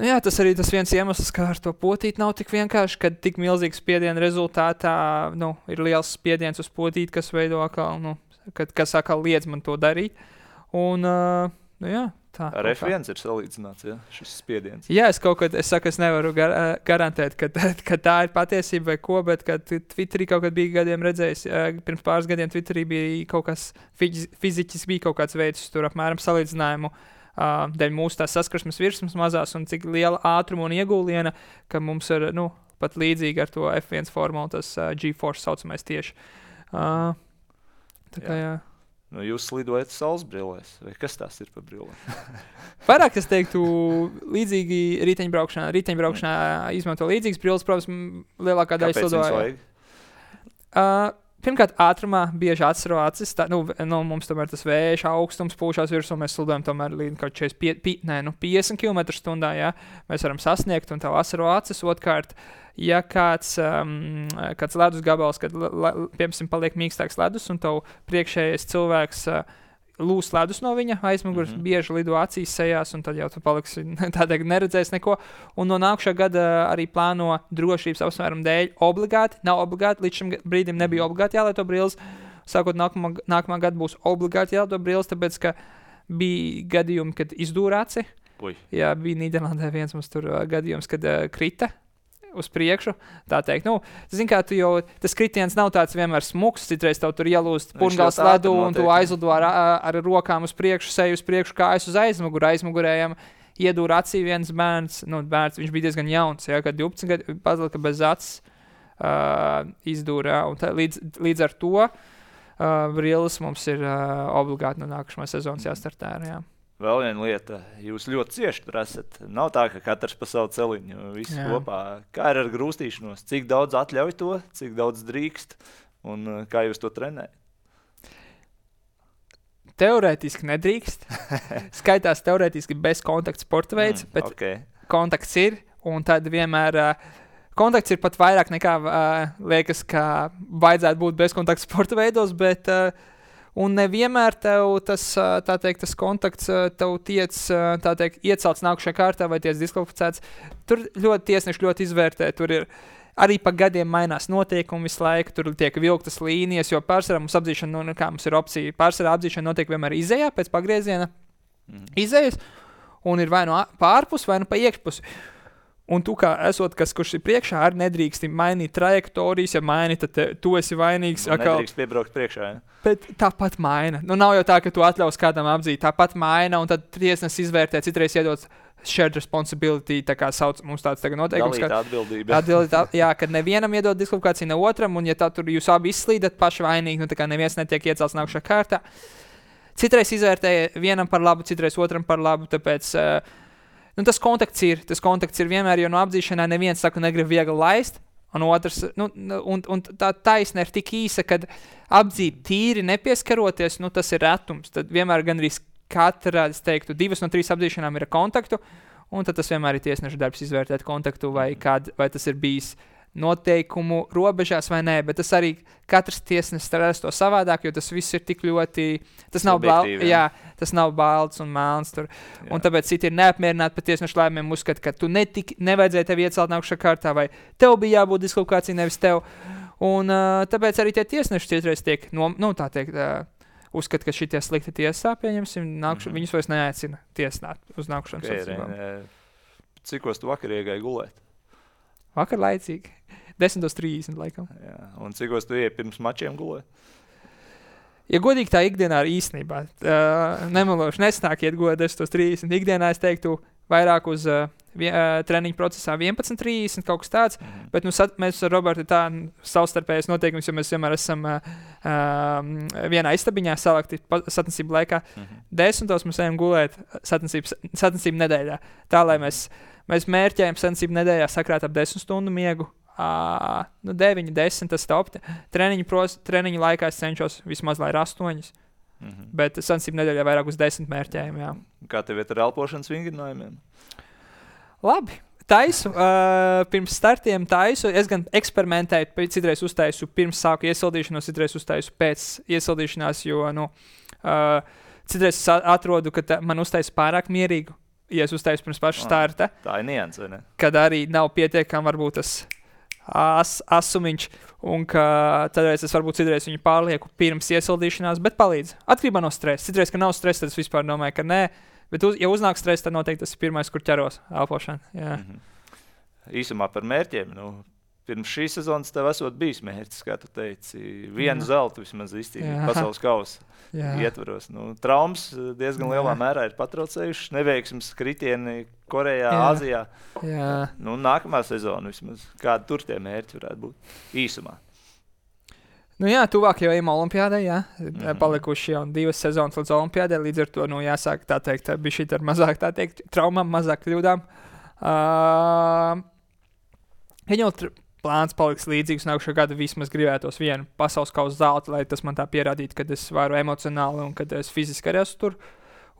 jā, tas arī tas viens iemesls, kā ar to potīt nav tik vienkārši, kad tik milzīgs spiediena rezultātā, ir liels spiediens uz potīt, kas veido atkal, kas atkal liedz man to darīt. Un, jā, tā. Ar F1 ir salīdzināts, jā, šis spiediens. Jā, es nevaru garantēt, ka tā ir patiesība vai ko, bet kad Twitterī kaut kad bija gadiem redzējis, pirms pāris gadiem Twitterī bija kaut kas, fiziķis bija kaut kāds veids, tur apmēram salīdzinājumu, dēļ mūsu tās saskarsmes virsmas mazās un cik liela ātruma un iegūliena, ka mums ir, pat līdzīgi ar to F1 formulu, tas G-force saucamais tieši. Tā kā, jā. Jūs slidojat saules brillēs, vai kas tās ir par brillēm? Vairāk es teiktu līdzīgi riteņbraukšanā. Riteņbraukšanā izmanto līdzīgas brilles, protams, lielākā daļa slidoja. Kāpēc jums vajag? pirmkārt, ātrumā bieži atsaro acis. Mums tomēr tas vējš augstums pūšās virsū, mēs slidojam tomēr līdz kaut 50 km/h, jā, mēs varam sasniegt, un tev asaro acis. Otkārt, ja kāds ledus gabals, kad, piemēram, paliek mīkstāks ledus, un tev priekšējais cilvēks lūs ledus no viņa aizmugures, bieži lido acīs sejās, un tad jau tu paliksi tādēļ neredzēs neko. Un no nākušā gada arī plāno drošības apsvērumu dēļ nav obligāti, līdz šim brīdim nebija obligāti jālieto brilles. Sākot nākamā gada būs obligāti jālieto brilles, tāpēc, ka bija gadījumi, kad izdūra aci. Jā, bija Nīderlandē viens mums tur gadījums, kad krita uz priekšu, tā teikt. Zini, kā tas kritiens nav tāds vienmēr smuks, citreiz tev tur ielūst purngals ledu, un tu aizlido ar rokām uz priekšu, seju uz priekšu, kājas uz aizmugurējiem. Iedūra acī viens bērns, viņš bija diezgan jauns, jā, kad 12 gadi pazlika bez acis izdūra, un līdz ar to brilles mums ir obligāti no nākamā sezonas jāstartē, jā. Vēl viena lieta, jūs ļoti cieši tur esat. Nav tā, ka katrs pa savu celiņu, visi kopā. Kā ir ar grūstīšanos? Cik daudz atļauj to, cik daudz drīkst, un kā jūs to trenējat? Teorētiski nedrīkst. Skaitās teorētiski bez kontakta sporta veids, bet kontakts ir, un tad vienmēr kontakts ir pat vairāk nekā liekas, ka vajadzētu būt bez kontakta sporta veidos, bet un nevienmēr tev tas kontakts tev tiec, iecelts nākušajā kārtā vai tiec diskvalificēts. Tur tiesneši ļoti izvērtē, tur ir arī pa gadiem mainās noteikumi visu laiku, tur tiek vilktas līnijas, jo pārsvarā mums apdzīšana, mums ir opcija, pārsvarā apdzīšana notiek vienmēr izejā pēc pagrieziena izejas, un ir vai no pārpus, vai no pa iekšpusi. Un tu kā esot, kurš ir priekšā, arī nedrīkst mainīt trajektorijas, ja maini, tad tu esi vainīgs. Nedrīkst piebraukt priekšā, ja? Bet tāpat maina. Nav jau tā, ka tu atļaus kādam apdzīt, tāpat maina, un tad tiesnes izvērtē, citreiz iedot shared responsibility, tā kā sauc mums tāds tagad noteikums. Dalīta atbildība. Jā, kad nevienam iedot diskvalifikāciju, ne otram, un ja tā tur jūs abi izslīdat paši vainīgi, tā kā neviens netiek iecelts nākušā kārtā. Citreiz izvērtē vienam par labu, citreiz otram par labu, tāpēc tas kontakts ir vienmēr, jo no apdzīšanā neviens saka, negrib viegli laist, un otrs, un tā taisne ir tik īsa, kad apdzīt tīri nepieskaroties, tas ir retums. Tad vienmēr gan arī katra, es teiktu, 2 no 3 apdzīšanām ir ar kontaktu, un tad tas vienmēr ir tiesneša darbs izvērtēt kontaktu, vai tas ir bijis noteikumu robežās vai nē, bet tas arī katrs tiesnesis strādās to savādāk, jo tas viss ir tik ļoti, tas nav balts un melns tur, un tāpēc citi ir neapmierināti par tiesnešu lēmumiem, uzskata, ka tu nevajadzēja tevi iecelt nākušā kārtā, vai tev bija jābūt diskvalifikācija, nevis tev, un tāpēc arī tie tiesneši citreiz tiek, uzskata, ka šitie slikti tiesā, pieņemsim, viņus vairs neaicina tiesnāt uz nākušanas sacībām. Cikos tu vakar iegāji gulēt? Vakar laicīgi. 10:30 laikam. Jā, un cikos tu ieej pirms mačiem gulēt? Ja godīgi tā ikdienā ir īstenībā, nemeloši nesnāk iet gulēt 10:30. Ikdienā es teiktu vairāk uz treniņu procesā 11:30, kaut kas tāds, bet mēs ar Robertu tā savstarpējas noteikums, jo mēs vienmēr esam vienā istabiņā salikti sacensību laikā. 10. mēs ejam gulēt sacensību nedēļā. Tā, lai mēs mērķējam sacensību nedēļā sakrāt ap 10 stundu miegu. 9, 10, tas top. Treniņu laikā es cenšos vismaz, lai ir 8. Bet sacensību nedēļā vairāk uz 10 mērķējam, jā. Kā tev ir ar elpošanas vingrinājumiem? Labi. Taisu, pirms startiem taisu, es gan eksperimentēju, citreiz uztaisu pirms sāku iesildīšanos, citreiz uztaisu pēc iesildīšanās, jo, citreiz es atrodu, ka man uztaisu pārāk mierīgu, ja es uztaisu pirms paša starta. Tā ir nianse, vai ne? Kad arī nav pietiekami varbūt tas asumiņš, un ka tādreiz es varbūt citreiz viņu pārlieku pirms iesildīšanās, bet palīdz. Atkarībā no stresa. Citreiz, ka nav stresa, tad es vispār domāju, ka nē. Bet, ja uznāk stress, tad noteikti tas ir pirmais, kur ķeros elpošana. Jā. Īsumā par mērķiem. Pirms šīs sezonas tev esot bijis mērķis, kā tu teici. Vienu zeltu vismaz izcīnīt pasaules kausa ietvaros. Traumas diezgan lielā mērā ir patraucējušas. Neveiksmes kritieni Korejā, Āzijā. Nākamā sezona vismaz. Kādi tur tie mērķi varētu būt? Īsumā. Tuvāk jau ejam olimpiādai, palikuši jau 2 sezonas līdz olimpiādai, līdz ar to, jāsāk tā teikt, bija šī ar mazāk, tā teikt, traumām, mazāk kļūdām. plāns paliks līdzīgs. Nākušā gada vismaz gribētos vienu pasaules kausa zeltu, lai tas man tā pierādītu, ka es varu emocionāli un ka es fiziski arī esmu tur.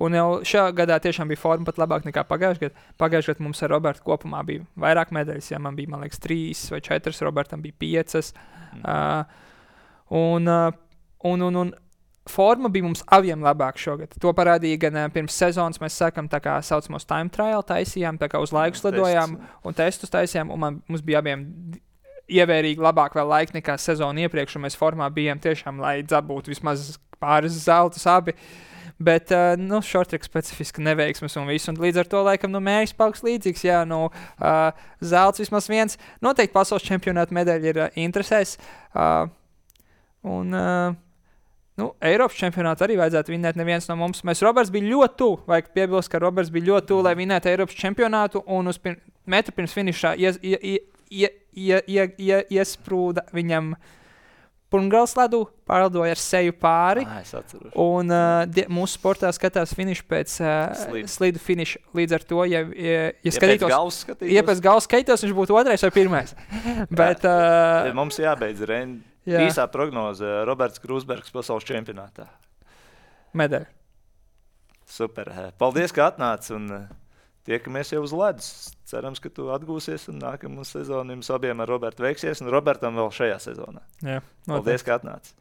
Un jau šajā gadā tiešām bija forma pat labāk nekā pagājušajā gadā. Pagājušajā gadā mums ar Robertu kopumā bija vairāk medaļas. Ja man bija, man liekas, 3 vai 4, Robertam bija 5. Un forma bija mums abiem labāk šogad. To parādīja gan pirms sezonas. Mēs sākam tā kā saucamos time trial taisījām, tā kā uz laiku slidojām un testus taisījām. Un mums bija abiem ievērīgi labāk vēl laika nekā sezonu iepriekš. Un mēs formā bijām tiešām, lai dabūtu vismaz pāris zeltus abi. Bet, shorttrack specifiski neveiksmes un viss. Un līdz ar to, laikam, mērķis paliks līdzīgs. Jā, zelts vismaz viens. Noteikti pasaules čempionāta medaļa ir interesēs. Eiropas čempionātu arī vajadzētu vinēt neviens no mums. Roberts bija ļoti tuvu. Vajag piebilst, ka Roberts bija ļoti tuvu, lai vinētu Eiropas čempionātu. Un uz metru pirms finišā iesprūda viņam Pungals ledu, pārlidoja ar seju pāri. Un mūsu sportā skatās finišu pēc slidu finiša. Līdz ar to, ja skatītos, pēc galvas skatītos, viņš būtu 2. vai 1. Bet, mums jābeidz īsā prognoze Roberts Krūsbergs pasaules čempionātā. Medaļa. Super. Paldies, ka atnāc un tiekamies jau uz ledus. Cerams, ka tu atgūsies un nākamā sezona jums abiem ar Robertu veiksies un Robertam vēl šajā sezonā. Jā, paldies, ka atnāc.